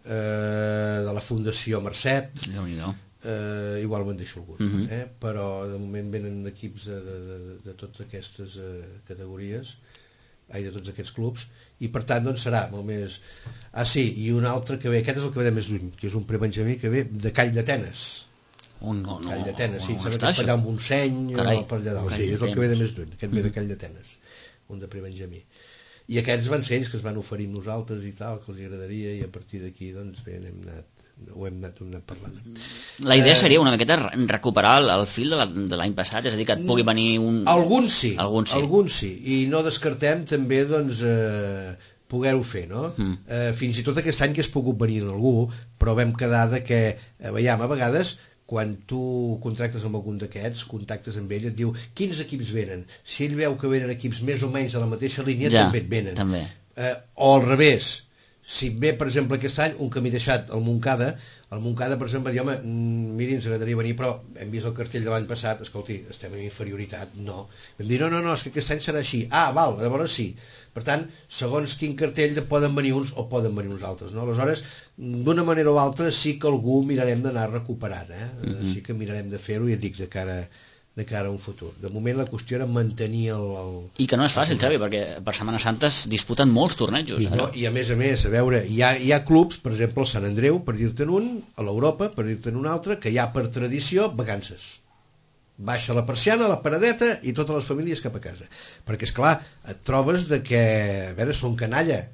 eh, de la Fundació Mercet, Déu-n'hi-do. eh, igual me'n deixo algun, uh-huh. eh? Però de moment venen equips de, de, de, de totes aquestes eh, categories, ai, de tots aquests clubs, i per tant doncs serà molt més... Ah sí, i un altre que ve, aquest és el que ve de més lluny, que és un prebenjamí que ve de Call d'Atenes. Oh, no, no, Call d'Atenes, sí, on sembla està que és per allà això? un Montseny o per allà dalt, sí, és el que ve de més lluny, aquest ve de Call d'Atenes, un de prebenjamí. I aquests van ser ells que es van oferir amb nosaltres i tal, que els agradaria, i a partir d'aquí doncs bé, hem anat, ho hem anat, ho hem anat parlant. La idea eh, seria una miqueta recuperar el, el fil de la- de l'any passat, és a dir, que et pugui venir un... Alguns sí, Alguns sí. alguns sí, i no descartem també doncs, eh, poder-ho fer, no? Mm. Eh, fins i tot aquest any que has pogut venir en algú, però vam quedar de que, eh, veiem, a vegades quan tu contractes amb algun d'aquests, contactes amb ell, et diu quins equips venen. Si ell veu que venen equips més o menys a la mateixa línia, Ja, també et venen. també. Eh, o al revés, si ve, per exemple, aquest any un que m'he deixat al Montcada, el Montcada, per exemple, diu, home, mm, miri, ens agradaria venir, però hem vist el cartell de l'any passat, escolti, estem en inferioritat, no. Vam dir, no, no, no, és que aquest any serà així. Ah, val, llavors sí. Per tant, segons quin cartell poden venir uns o poden venir uns altres, no? Aleshores, d'una manera o altra sí que algú mirarem d'anar recuperant, eh? Mm-hmm. Sí que mirarem de fer-ho, i et dic, de cara de cara a un futur. De moment la qüestió era mantenir el... el... I que no és fàcil, Xavi, perquè per Setmana Santa es disputen molts tornejos. I, no, I a més a més, a veure, hi ha, hi ha clubs, per exemple el Sant Andreu, per dir-te'n un, a l'Europa, per dir-te'n un altre, que hi ha per tradició vacances. Baixa la persiana, la paradeta i totes les famílies cap a casa. Perquè, és clar, et trobes de que, a veure, són canalla,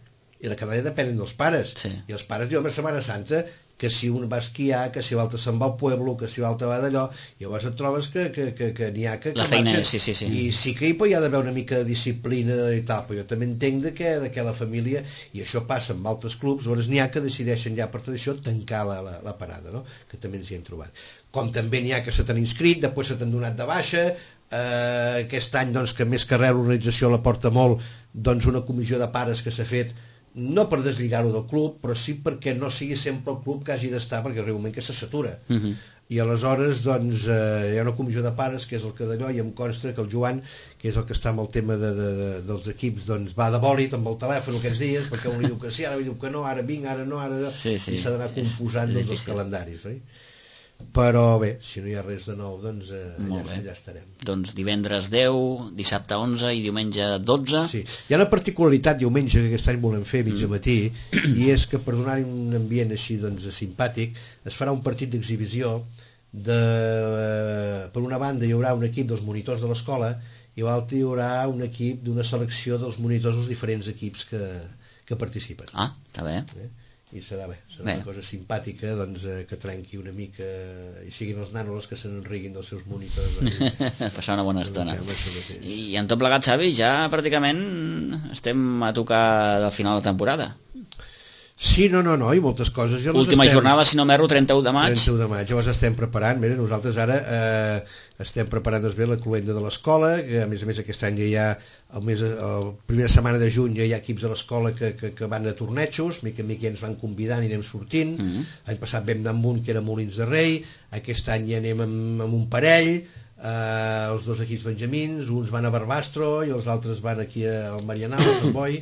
i la canalla depèn dels pares. Sí. I els pares diuen a Setmana Santa que si un va a esquiar, que si l'altre se'n va al pueblo, que si l'altre va d'allò, i llavors et trobes que, que, que, que n'hi ha que... La que feina marxen. és, sí, sí, sí. I sí que hi pot hi ha d'haver una mica de disciplina i tal, però jo també entenc de que, de que la família, i això passa amb altres clubs, llavors n'hi ha que decideixen ja per tradició tancar la, la, la parada, no? Que també ens hi hem trobat. Com també n'hi ha que se t'han inscrit, després se t'han donat de baixa, eh, aquest any doncs, que més que res l'organització la porta molt, doncs una comissió de pares que s'ha fet, no per deslligar-ho del club, però sí perquè no sigui sempre el club que hagi d'estar, perquè arriba un moment que se satura. Uh-huh. I aleshores doncs, eh, hi ha una comissió de pares que és el que d'allò, i em consta que el Joan, que és el que està amb el tema de, de, de, dels equips, doncs va de bòlit amb el telèfon aquests dies, perquè un li diu que sí, ara li diu que no, ara vinc, ara no, ara... Sí, sí. I s'ha d'anar composant És- és doncs, els difícil. calendaris, oi? Però bé, si no hi ha res de nou, doncs eh, Molt allà, bé. allà estarem. Doncs divendres deu, dissabte onze i diumenge dotze. Sí. Hi ha una particularitat diumenge que aquest any volem fer mig Mm. matí, i és que per donar-hi un ambient així doncs, simpàtic, es farà un partit d'exhibició de, eh, per una banda hi haurà un equip dels monitors de l'escola i l'altra hi haurà un equip d'una selecció dels monitors dels diferents equips que, que participen. Ah, està bé. Eh? I serà bé, serà Bé. una cosa simpàtica, doncs, eh, que trenqui una mica i siguin els nanos els que se n'enriguin dels seus monitors. Doncs, Passar una bona estona. Doncs, ja, això mateix. I en tot plegat, Xavi, ja pràcticament estem a tocar del final de temporada. Sí, no, no, no, i moltes coses ja les Última estem... jornada, si no m'erro, trenta u de maig. trenta u de maig, llavors estem preparant, mira, nosaltres ara eh, estem preparant doncs, bé la cluenda de l'escola, que a més a més aquest any ja hi ha, el mes, la primera setmana de juny ja hi ha equips de l'escola que, que, que van a tornejos, mica en mica ja ens van convidant i anem sortint. Mm -hmm. L'any passat vam anar amb un que era Molins de Rei, aquest any ja anem amb, amb un parell, eh, els dos equips benjamins, uns van a Barbastro i els altres van aquí al Marianal, a Sant Boi,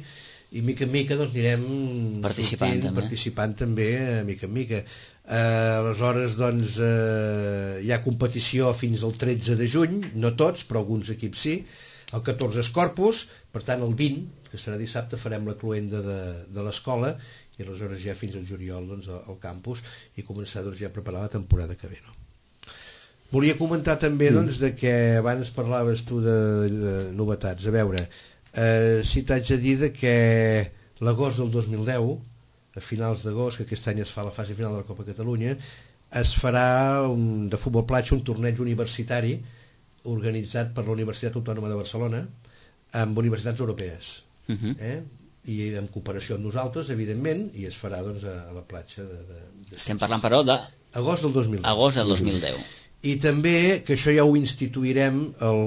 i mica en mica doncs, anirem Participant, sortint, també. participant també, eh, mica en mica. Eh, aleshores, doncs, eh, hi ha competició fins al tretze de juny, no tots, però alguns equips sí. El catorze és Corpus, per tant el vint, que serà dissabte, farem la cluenda de, de l'escola, i aleshores ja fins al juliol doncs, al, al campus, i començar doncs, ja a preparar la temporada que ve. No? Volia comentar també doncs, de que abans parlaves tu de, de novetats. A veure, eh, si t'haig de dir de que l'agost del dos mil deu a finals d'agost, que aquest any es fa la fase final de la Copa Catalunya, es farà un, de futbol platja un torneig universitari organitzat per la Universitat Autònoma de Barcelona amb universitats europees, uh-huh. eh? I en cooperació amb nosaltres, evidentment, i es farà doncs, a, a la platja de, de, de... Estem parlant, però, de... Agost del dos mil deu. Agost del dos mil deu. I també, que això ja ho instituirem el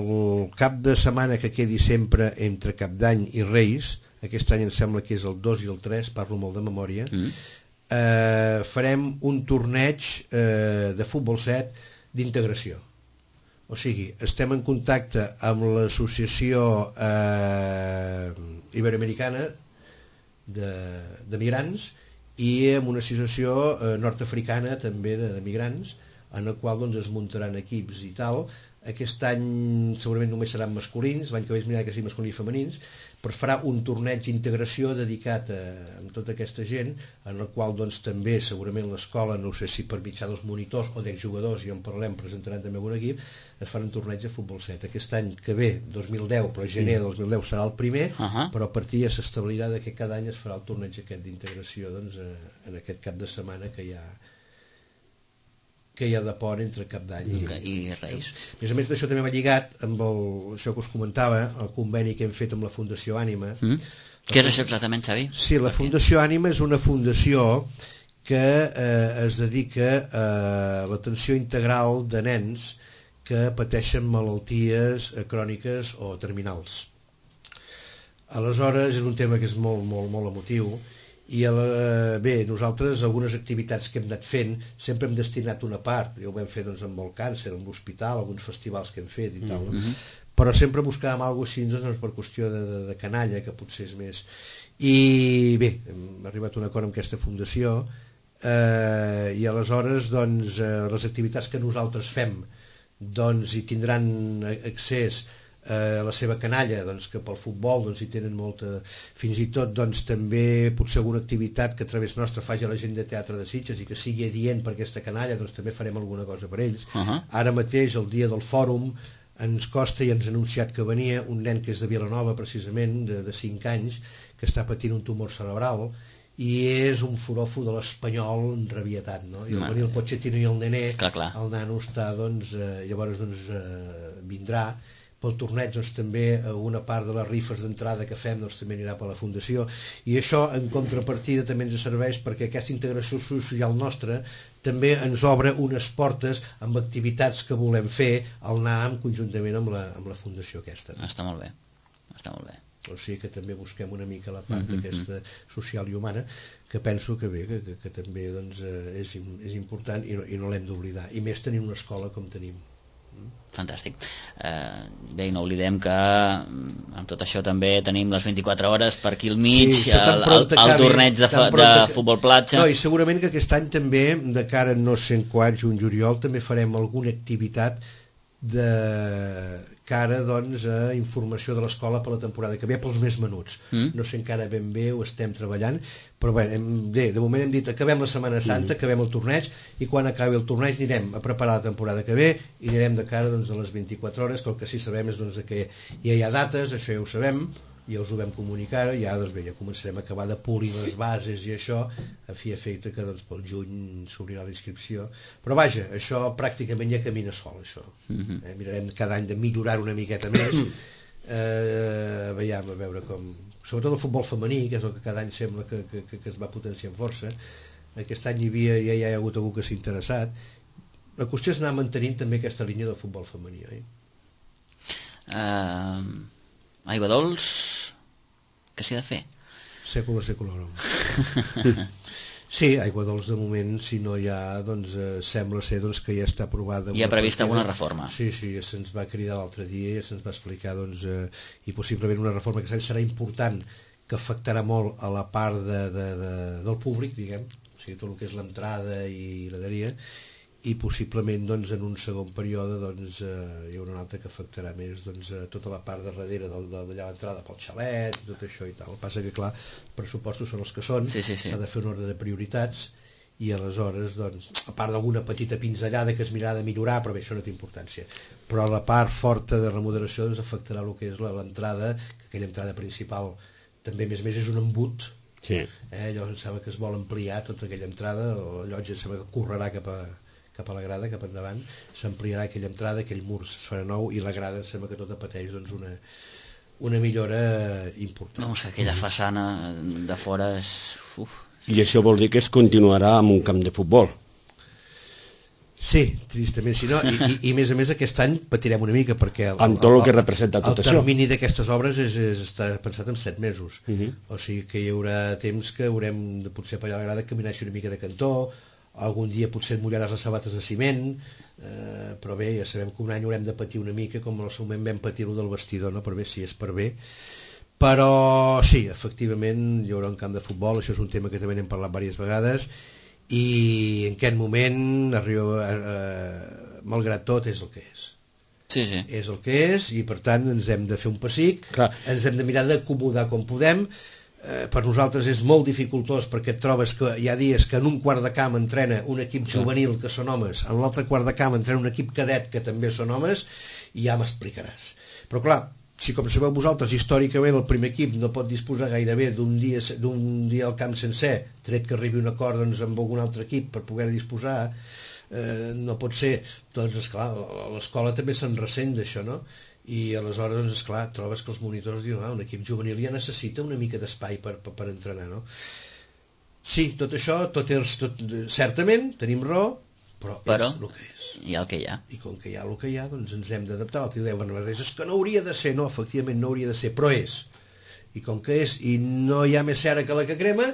cap de setmana que quedi sempre entre Cap d'Any i Reis, aquest any em sembla que és el dos i el tres, parlo molt de memòria, mm. eh, farem un torneig eh, de futbol set d'integració. O sigui, estem en contacte amb l'associació eh, iberoamericana de, de migrants i amb una associació eh, nord-africana també de, de migrants, en el qual doncs, es muntaran equips i tal. Aquest any segurament només seran masculins, l'any que ve es mirarà que siguin masculins i femenins, però farà un torneig d'integració dedicat a, a tota aquesta gent, en el qual doncs, també segurament l'escola, no sé si per mitjà dels monitors o d'exjugadors, i en parlem, presentaran també un equip, es farà un torneig de futbol set. Aquest any que ve, dos mil deu, però gener de dos mil deu serà el primer, uh-huh. però a partir ja s'establirà que cada any es farà el torneig aquest d'integració doncs, en aquest cap de setmana que hi ha que hi ha de pont entre Cap d'Any i, i Reis. A més a més d'això també va lligat amb el, això que us comentava, el conveni que hem fet amb la Fundació Ànima. Mm. Què és això exactament, Xavi? Sí, la Fundació Ànima és una fundació que eh, es dedica a l'atenció integral de nens que pateixen malalties cròniques o terminals. Aleshores és un tema que és molt, molt, molt emotiu. I eh, bé, nosaltres algunes activitats que hem anat fent sempre hem destinat una part, ja ho vam fer doncs, amb el càncer, amb l'hospital, alguns festivals que hem fet i tal, no? Mm-hmm. Però sempre buscàvem alguna cosa així doncs, per qüestió de, de, de canalla, que potser és més. I bé, hem arribat a un acord amb aquesta fundació eh, i aleshores doncs, eh, les activitats que nosaltres fem doncs, hi tindran accés a la seva canalla, doncs, que pel futbol doncs, hi tenen molta, fins i tot doncs, també potser alguna activitat que a través nostra faci la gent de Teatre de Sitges i que sigui adient per aquesta canalla, doncs també farem alguna cosa per ells. Uh-huh. Ara mateix, el dia del fòrum, ens costa i ens ha anunciat que venia un nen que és de Vilanova precisament, de, de cinc anys, que està patint un tumor cerebral i és un forofo de l'espanyol enrabietat, no? I al venir el Pochettino i el nené, clar, clar. El nano està, doncs, eh, llavors doncs, eh, vindrà pel torneig, doncs, també una part de les rifes d'entrada que fem doncs, també anirà per la Fundació, i això en contrapartida també ens serveix perquè aquesta integració social nostra també ens obre unes portes amb activitats que volem fer al NAM conjuntament amb la, amb la Fundació aquesta. Està molt bé, està molt bé. O sigui que també busquem una mica la part mm-hmm. aquesta social i humana, que penso que bé, que, que, que també doncs, és, és important i no, i no l'hem d'oblidar, i més tenir una escola com tenim. Fantàstic. Eh, bé, no oblidem que amb tot això també tenim les vint-i-quatre hores per aquí al mig, sí, el, el, el torneig de, fa, de futbol platja. No, i segurament que aquest any també, de cara no sé quan, juny, juliol, també farem alguna activitat de cara doncs, a informació de l'escola per la temporada que ve, pels més menuts. Mm. No sé encara ben bé, ho estem treballant, però bé, hem, bé, de moment hem dit acabem la Setmana Santa, mm. acabem el torneig, i quan acabi el torneig anirem a preparar la temporada que ve i anirem de cara doncs, a les vint-i-quatre hores, que el que sí sabem és doncs, que ja hi ha dates, això ja ho sabem, ja us ho vam comunicar, i ja, doncs, bé, ja començarem a acabar de polir les bases i això, a fi efecte que doncs, pel juny s'obrirà la inscripció. Però vaja, això pràcticament ja camina sol, això. Mm-hmm. eh, mirarem cada any de millorar una miqueta més, eh, veiem a veure com... Sobretot el futbol femení, que és el que cada any sembla que, que, que, que es va potenciar amb força. Aquest any hi havia, ja hi ha hagut algú que s'ha interessat. La qüestió és anar mantenint també aquesta línia del futbol femení, oi? Uh, aigua dolç, què s'hi ha de fer? Sècula seculorum. Sí, aigua dolç de moment, si no hi ha, doncs eh, sembla ser doncs, que ja està aprovada. Hi ha prevista alguna reforma? Sí, sí, ja se'ns va cridar l'altre dia, ja se'ns va explicar, doncs, eh, i possiblement una reforma que serà important, que afectarà molt a la part de, de, de, del públic, diguem, o sigui, tot el que és l'entrada i l'aderia, i possiblement doncs, en un segon període doncs, eh, hi haurà una altra que afectarà més doncs, eh, tota la part de darrere de, de, d'allà l'entrada pel xalet, tot això i tal. El que passa que clar, els pressupostos són els que són, s'ha sí, sí, sí. de fer un ordre de prioritats, i aleshores doncs, a part d'alguna petita pinzellada que es mirarà de millorar, però bé, això no té importància, però la part forta de remodelació doncs, afectarà el que és l'entrada, que aquella entrada principal també a més a més és un embut Sí. Eh, allò em sembla que es vol ampliar tota aquella entrada, o allò em sembla que correrà cap a, cap a la grada, cap endavant, s'ampliarà aquella entrada, aquell mur es farà nou, i la grada em sembla que tota pateix doncs, una, una millora important. No sé, aquella façana de fora és... Uf. I això vol dir que es continuarà amb un camp de futbol. Sí, tristament sí, no? I, i, i a més a més aquest any patirem una mica perquè el, amb tot el, el que representa tot el això. El termini d'aquestes obres és, és, està pensat en set mesos, uh -huh. o sigui que hi haurà temps que haurem de potser per allà a la grada caminar una mica de cantó, algun dia potser et mullaràs les sabates de ciment, eh, però bé, ja sabem que un any haurem de patir una mica com en el seu moment vam patir-ho del vestidor, no? Per bé, si és per bé. Però sí, efectivament hi haurà un camp de futbol, això és un tema que també n'hem parlat diverses vegades, i en aquest moment arriba, eh, malgrat tot és el que és. Sí, sí. És el que és, i per tant ens hem de fer un pessic. Clar. Ens hem de mirar d'acomodar com podem. Eh, per nosaltres és molt dificultós perquè et trobes que hi ha dies que en un quart de camp entrena un equip juvenil que són homes, en l'altre quart de camp entrena un equip cadet que també són homes, i ja m'explicaràs. Però clar, si com sabeu vosaltres històricament el primer equip no pot disposar gairebé d'un dia, d'un dia al camp sencer, tret que arribi un acord doncs, amb algun altre equip per poder disposar, eh, no pot ser, doncs esclar, l'escola també se'n ressent d'això, no? I aleshores, doncs esclar, trobes que els monitors diuen, ah, un equip juvenil ja necessita una mica d'espai per, per, per entrenar, no? Sí, tot això, tot és, tot, certament, tenim raó, però, però és el que és. Hi ha el que hi ha. I com que hi ha el que hi ha, doncs ens hem d'adaptar. L'altre dia deuen, és que no hauria de ser, no, efectivament no hauria de ser, però és. I com que és, i no hi ha més cera que la que crema,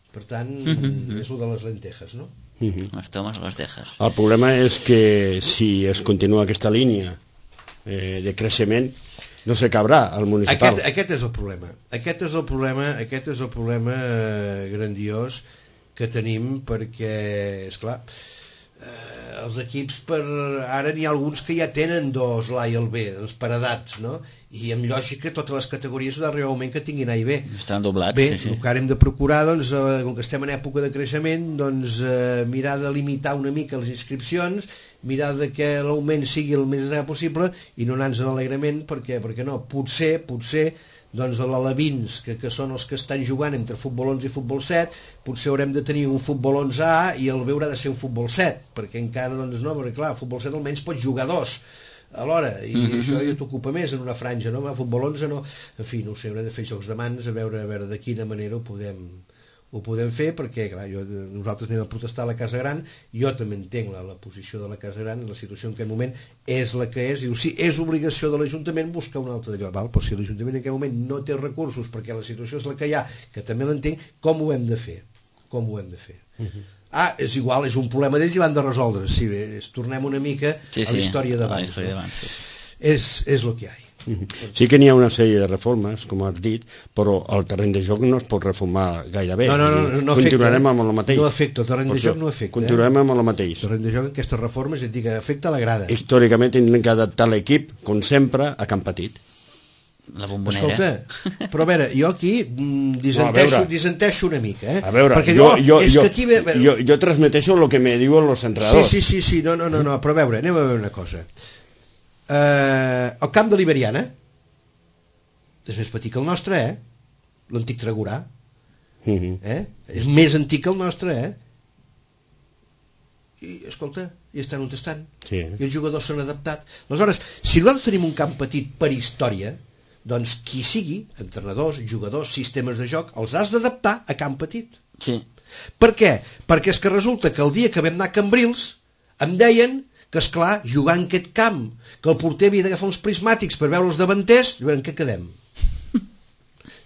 per tant, mm-hmm. és el de les lentejas, no? Mm-hmm. Les tomes o les dejas. El problema és que si es continua aquesta línia eh, de creixement, no s'acabarà el municipal. Aquest, aquest és el problema. Aquest és el problema, aquest és el problema eh, grandiós que tenim, perquè, esclar, eh, els equips per ara n'hi ha alguns que ja tenen dos l'A i el B, doncs per edats, no? I amb lògica totes les categories ha d'arribar un moment que tinguin A i B. Estan doblats. Bé, sí, sí. el que ara hem de procurar, doncs, eh, com que estem en època de creixement, doncs eh, mirar de limitar una mica les inscripcions, mirar de que l'augment sigui el més gran possible i no anar-nos alegrament, perquè, perquè no, potser, potser doncs l'alevins, que, que són els que estan jugant entre futbol onze i futbol set, potser haurem de tenir un futbol onze A i el B haurà de ser un futbol set, perquè encara, doncs no, perquè clar, el futbol set almenys pot jugar dos alhora, i mm-hmm. això ja t'ocupa més en una franja, no? El futbol onze no, en fi, no ho sé, haurem de fer jocs de mans a veure, a veure de quina manera ho podem ho podem fer, perquè clar, jo, nosaltres anem a protestar a la Casa Gran, jo també entenc la, la posició de la Casa Gran, la situació en aquest moment és la que és, diu, sí, és obligació de l'Ajuntament buscar un altre d'allò, val? Però si l'Ajuntament en aquest moment no té recursos perquè la situació és la que hi ha, que també l'entenc, com ho hem de fer? Com ho hem de fer? Uh-huh. Ah, és igual, és un problema d'ells i van de resoldre, sí, bé, és, tornem una mica sí, sí, a la història d'abans, no? no? sí. és, és el que hi ha. Sí que n'hi ha una sèrie de reformes, com has dit, però el terreny de joc no es pot reformar gairebé. No, no, no, no, no continuarem afecta, amb el mateix. No afecta, el terreny de joc no afecta. Continuarem eh? amb el mateix. El terreny de joc, aquestes reformes, et dic, afecta la grada. Històricament tindrem que adaptar l'equip, com sempre, a Camp Petit. La bombonera. Escolta, però a veure, jo aquí disenteixo, no, disenteixo una mica, eh? A veure, perquè jo, jo, jo, és jo, que aquí ve, veure... jo, jo transmeteixo el que me diuen els entrenadors. Sí, sí, sí, sí, no, no, no, no, però a veure, anem a veure una cosa. Uh, el camp de l'Iberiana és més petit que el nostre, eh? L'antic Tregurà. Uh-huh. Eh? És més antic que el nostre, eh? I, escolta, i estan on estan. Sí. I els jugadors s'han adaptat. Aleshores, si nosaltres tenim un camp petit per història, doncs qui sigui, entrenadors, jugadors, sistemes de joc, els has d'adaptar a camp petit. Sí. Per què? Perquè és que resulta que el dia que vam anar a Cambrils em deien que, esclar, jugar en aquest camp, que el porter havia d'agafar uns prismàtics per veure els davanters, i en què quedem?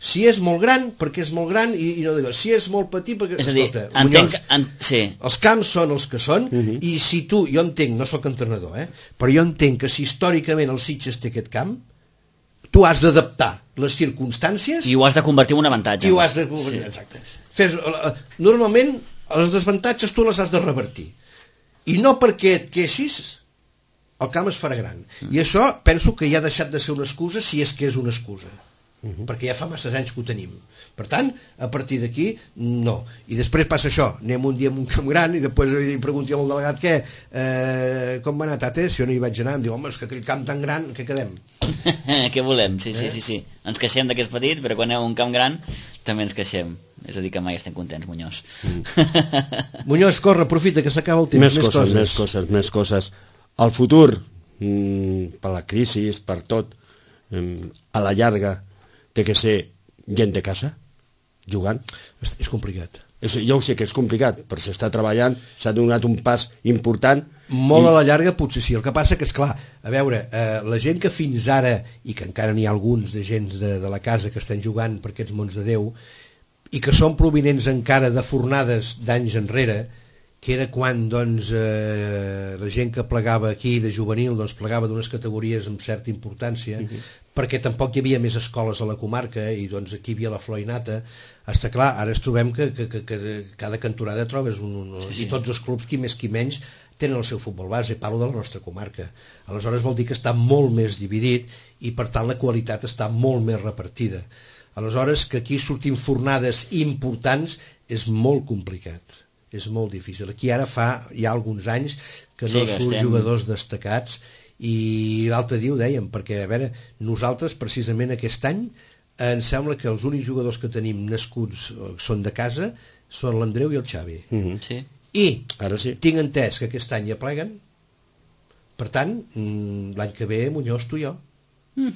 Si és molt gran, perquè és molt gran, i, i no dic, si és molt petit, perquè... És a dir, escolta, entenc... Muñoz, En... Sí. els camps són els que són, uh-huh. i si tu, jo entenc, no sóc entrenador, eh, però jo entenc que si històricament el Sitges té aquest camp, tu has d'adaptar les circumstàncies... I ho has de convertir en un avantatge. I ho has de convertir, sí. Exacte. Fes, normalment, les desavantatges tu les has de revertir. I no perquè et queixis, el camp es farà gran. Mm. I això penso que ja ha deixat de ser una excusa, si és que és una excusa. Uh-huh. Perquè ja fa massa anys que ho tenim. Per tant, a partir d'aquí, no. I després passa això, anem un dia amb un camp gran i després li pregunti al delegat què, eh, com va anar, tate? Si jo no hi vaig anar, em diu, home, és que aquell camp tan gran, què quedem? Què volem? Sí, sí, eh? sí, sí. Ens queixem d'aquest petit, però quan anem a un camp gran també ens queixem. És a dir, que mai estem contents, Muñoz. Mm. Muñoz, corre, aprofita, que s'acaba el temps. Més, més coses, coses, més coses, més coses. El futur, mm, per la crisi, per tot, mm, a la llarga, té que ser gent de casa, jugant. És, és complicat. És, jo ho sé que és complicat, però s'està treballant, s'ha donat un pas important. Molt i... a la llarga potser sí, el que passa que és clar, a veure, eh, la gent que fins ara, i que encara n'hi ha alguns de gent de, de la casa que estan jugant per aquests mons de Déu, i que són provinents encara de fornades d'anys enrere, que era quan doncs, eh, la gent que plegava aquí de juvenil doncs, plegava d'unes categories amb certa importància, uh-huh. perquè tampoc hi havia més escoles a la comarca i doncs aquí hi havia la flor i nata. Està clar, ara ens trobem que, que, que, que cada cantonada trobes un, un, sí, sí. i tots els clubs, qui més qui menys, tenen el seu futbol base, parlo de la nostra comarca. Aleshores vol dir que està molt més dividit i per tant la qualitat està molt més repartida. Aleshores que aquí sortim fornades importants és molt complicat, és molt difícil. Aquí ara fa ja alguns anys que no sí, que surt estem... jugadors destacats i l'altre dia ho dèiem, perquè a veure, nosaltres precisament aquest any em sembla que els únics jugadors que tenim nascuts són de casa són l'Andreu i el Xavi. Mm-hmm. Sí. I ara sí. Tinc entès que aquest any ja pleguen, per tant l'any que ve Muñoz, tu i jo. Mm.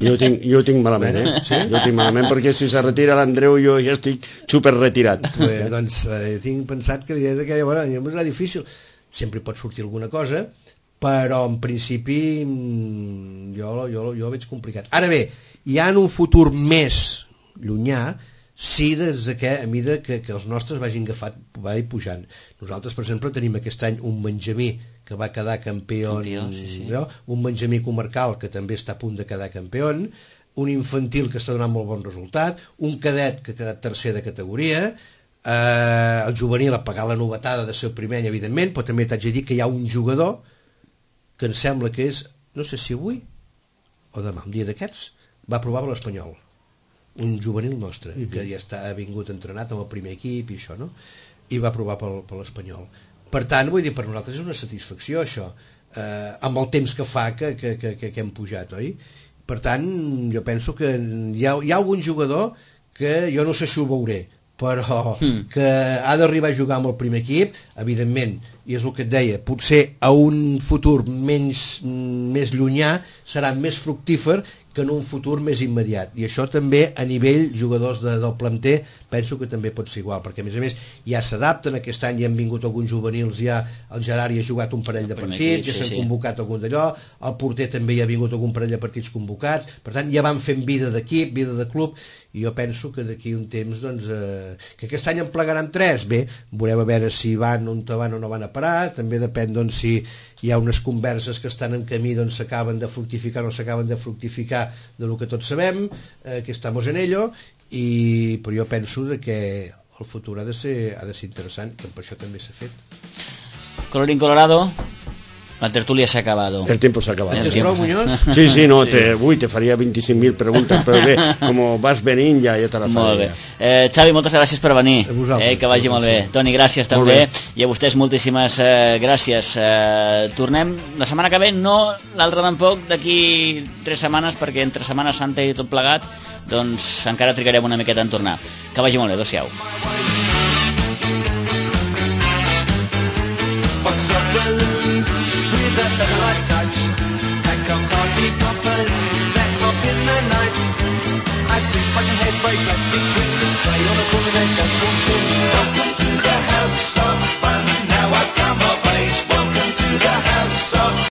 Jo ho tinc, jo ho tinc malament, eh? Sí? Jo ho tinc malament perquè si se retira l'Andreu jo ja estic super retirat. Bé, doncs eh, tinc pensat que, que bueno, serà difícil. Sempre pot sortir alguna cosa, però en principi jo, jo, jo ho veig complicat. Ara bé, ja en un futur més llunyà, sí, des de que a mida que, que els nostres vagin agafat, vagi pujant. Nosaltres, per exemple, tenim aquest any un Benjamí que va quedar campió, campió sí, sí. No? Un Benjamí comarcal que també està a punt de quedar campió, un infantil que està donant molt bon resultat, un cadet que ha quedat tercer de categoria, eh, el juvenil a pagar la novetada de ser el primer any, evidentment, però també t'haig de dir que hi ha un jugador que em sembla que és, no sé si avui o demà, un dia d'aquests, va provar per l'Espanyol, un juvenil nostre, uh-huh. que ja està, ha vingut entrenat amb el primer equip i això, no? I va provar per, per l'Espanyol. Per tant, vull dir, per nosaltres és una satisfacció això, eh, amb el temps que fa que, que, que, que hem pujat, oi? Per tant, jo penso que hi ha, hi ha algun jugador que jo no sé si ho veuré, però mm. que ha d'arribar a jugar amb el primer equip, evidentment, i és el que et deia, potser a un futur menys, més llunyà serà més fructífer que en un futur més immediat, i això també a nivell jugadors de, del planter penso que també pot ser igual, perquè a més a més ja s'adapten, aquest any ja han vingut alguns juvenils, ja el Gerard ja ha jugat un parell de partits, equip, ja s'han sí, convocat sí. algun d'allò, el porter també ja ha vingut algun parell de partits convocats, per tant ja van fent vida d'equip, vida de club, i jo penso que d'aquí un temps doncs, eh, que aquest any en plegaran tres, bé, veurem a veure si van on van o no van a parar, també depèn doncs, si hi ha unes converses que estan en camí doncs s'acaben de fructificar o no s'acaben de fructificar de lo que tots sabem, eh, que estamos en ello, i, però jo penso de que el futur ha de ser, ha de ser interessant, que per això també s'ha fet. Colorín colorado, la tertulia s'ha acabado. El tiempo s'ha acabado. ¿Tens prou, Muñoz? Sí, sí, no, sí. Te, ui, te faria vint-i-cinc mil preguntes, però bé, com vas venint ja, ja te la faré. Molt bé. Eh, Xavi, moltes gràcies per venir. Eh, que vagi molt bé. Toni, gràcies també. I a vostès moltíssimes eh, gràcies. Eh, tornem la setmana que ve, no l'altra tampoc, d'aquí tres setmanes, perquè entre Setmana Santa i tot plegat, doncs encara trigarem una miqueta en tornar. Que vagi molt bé, adéu-siau. Box of balloons with a featherlight touch, pack of party poppers, back up in the night. I took much hairspray, plastic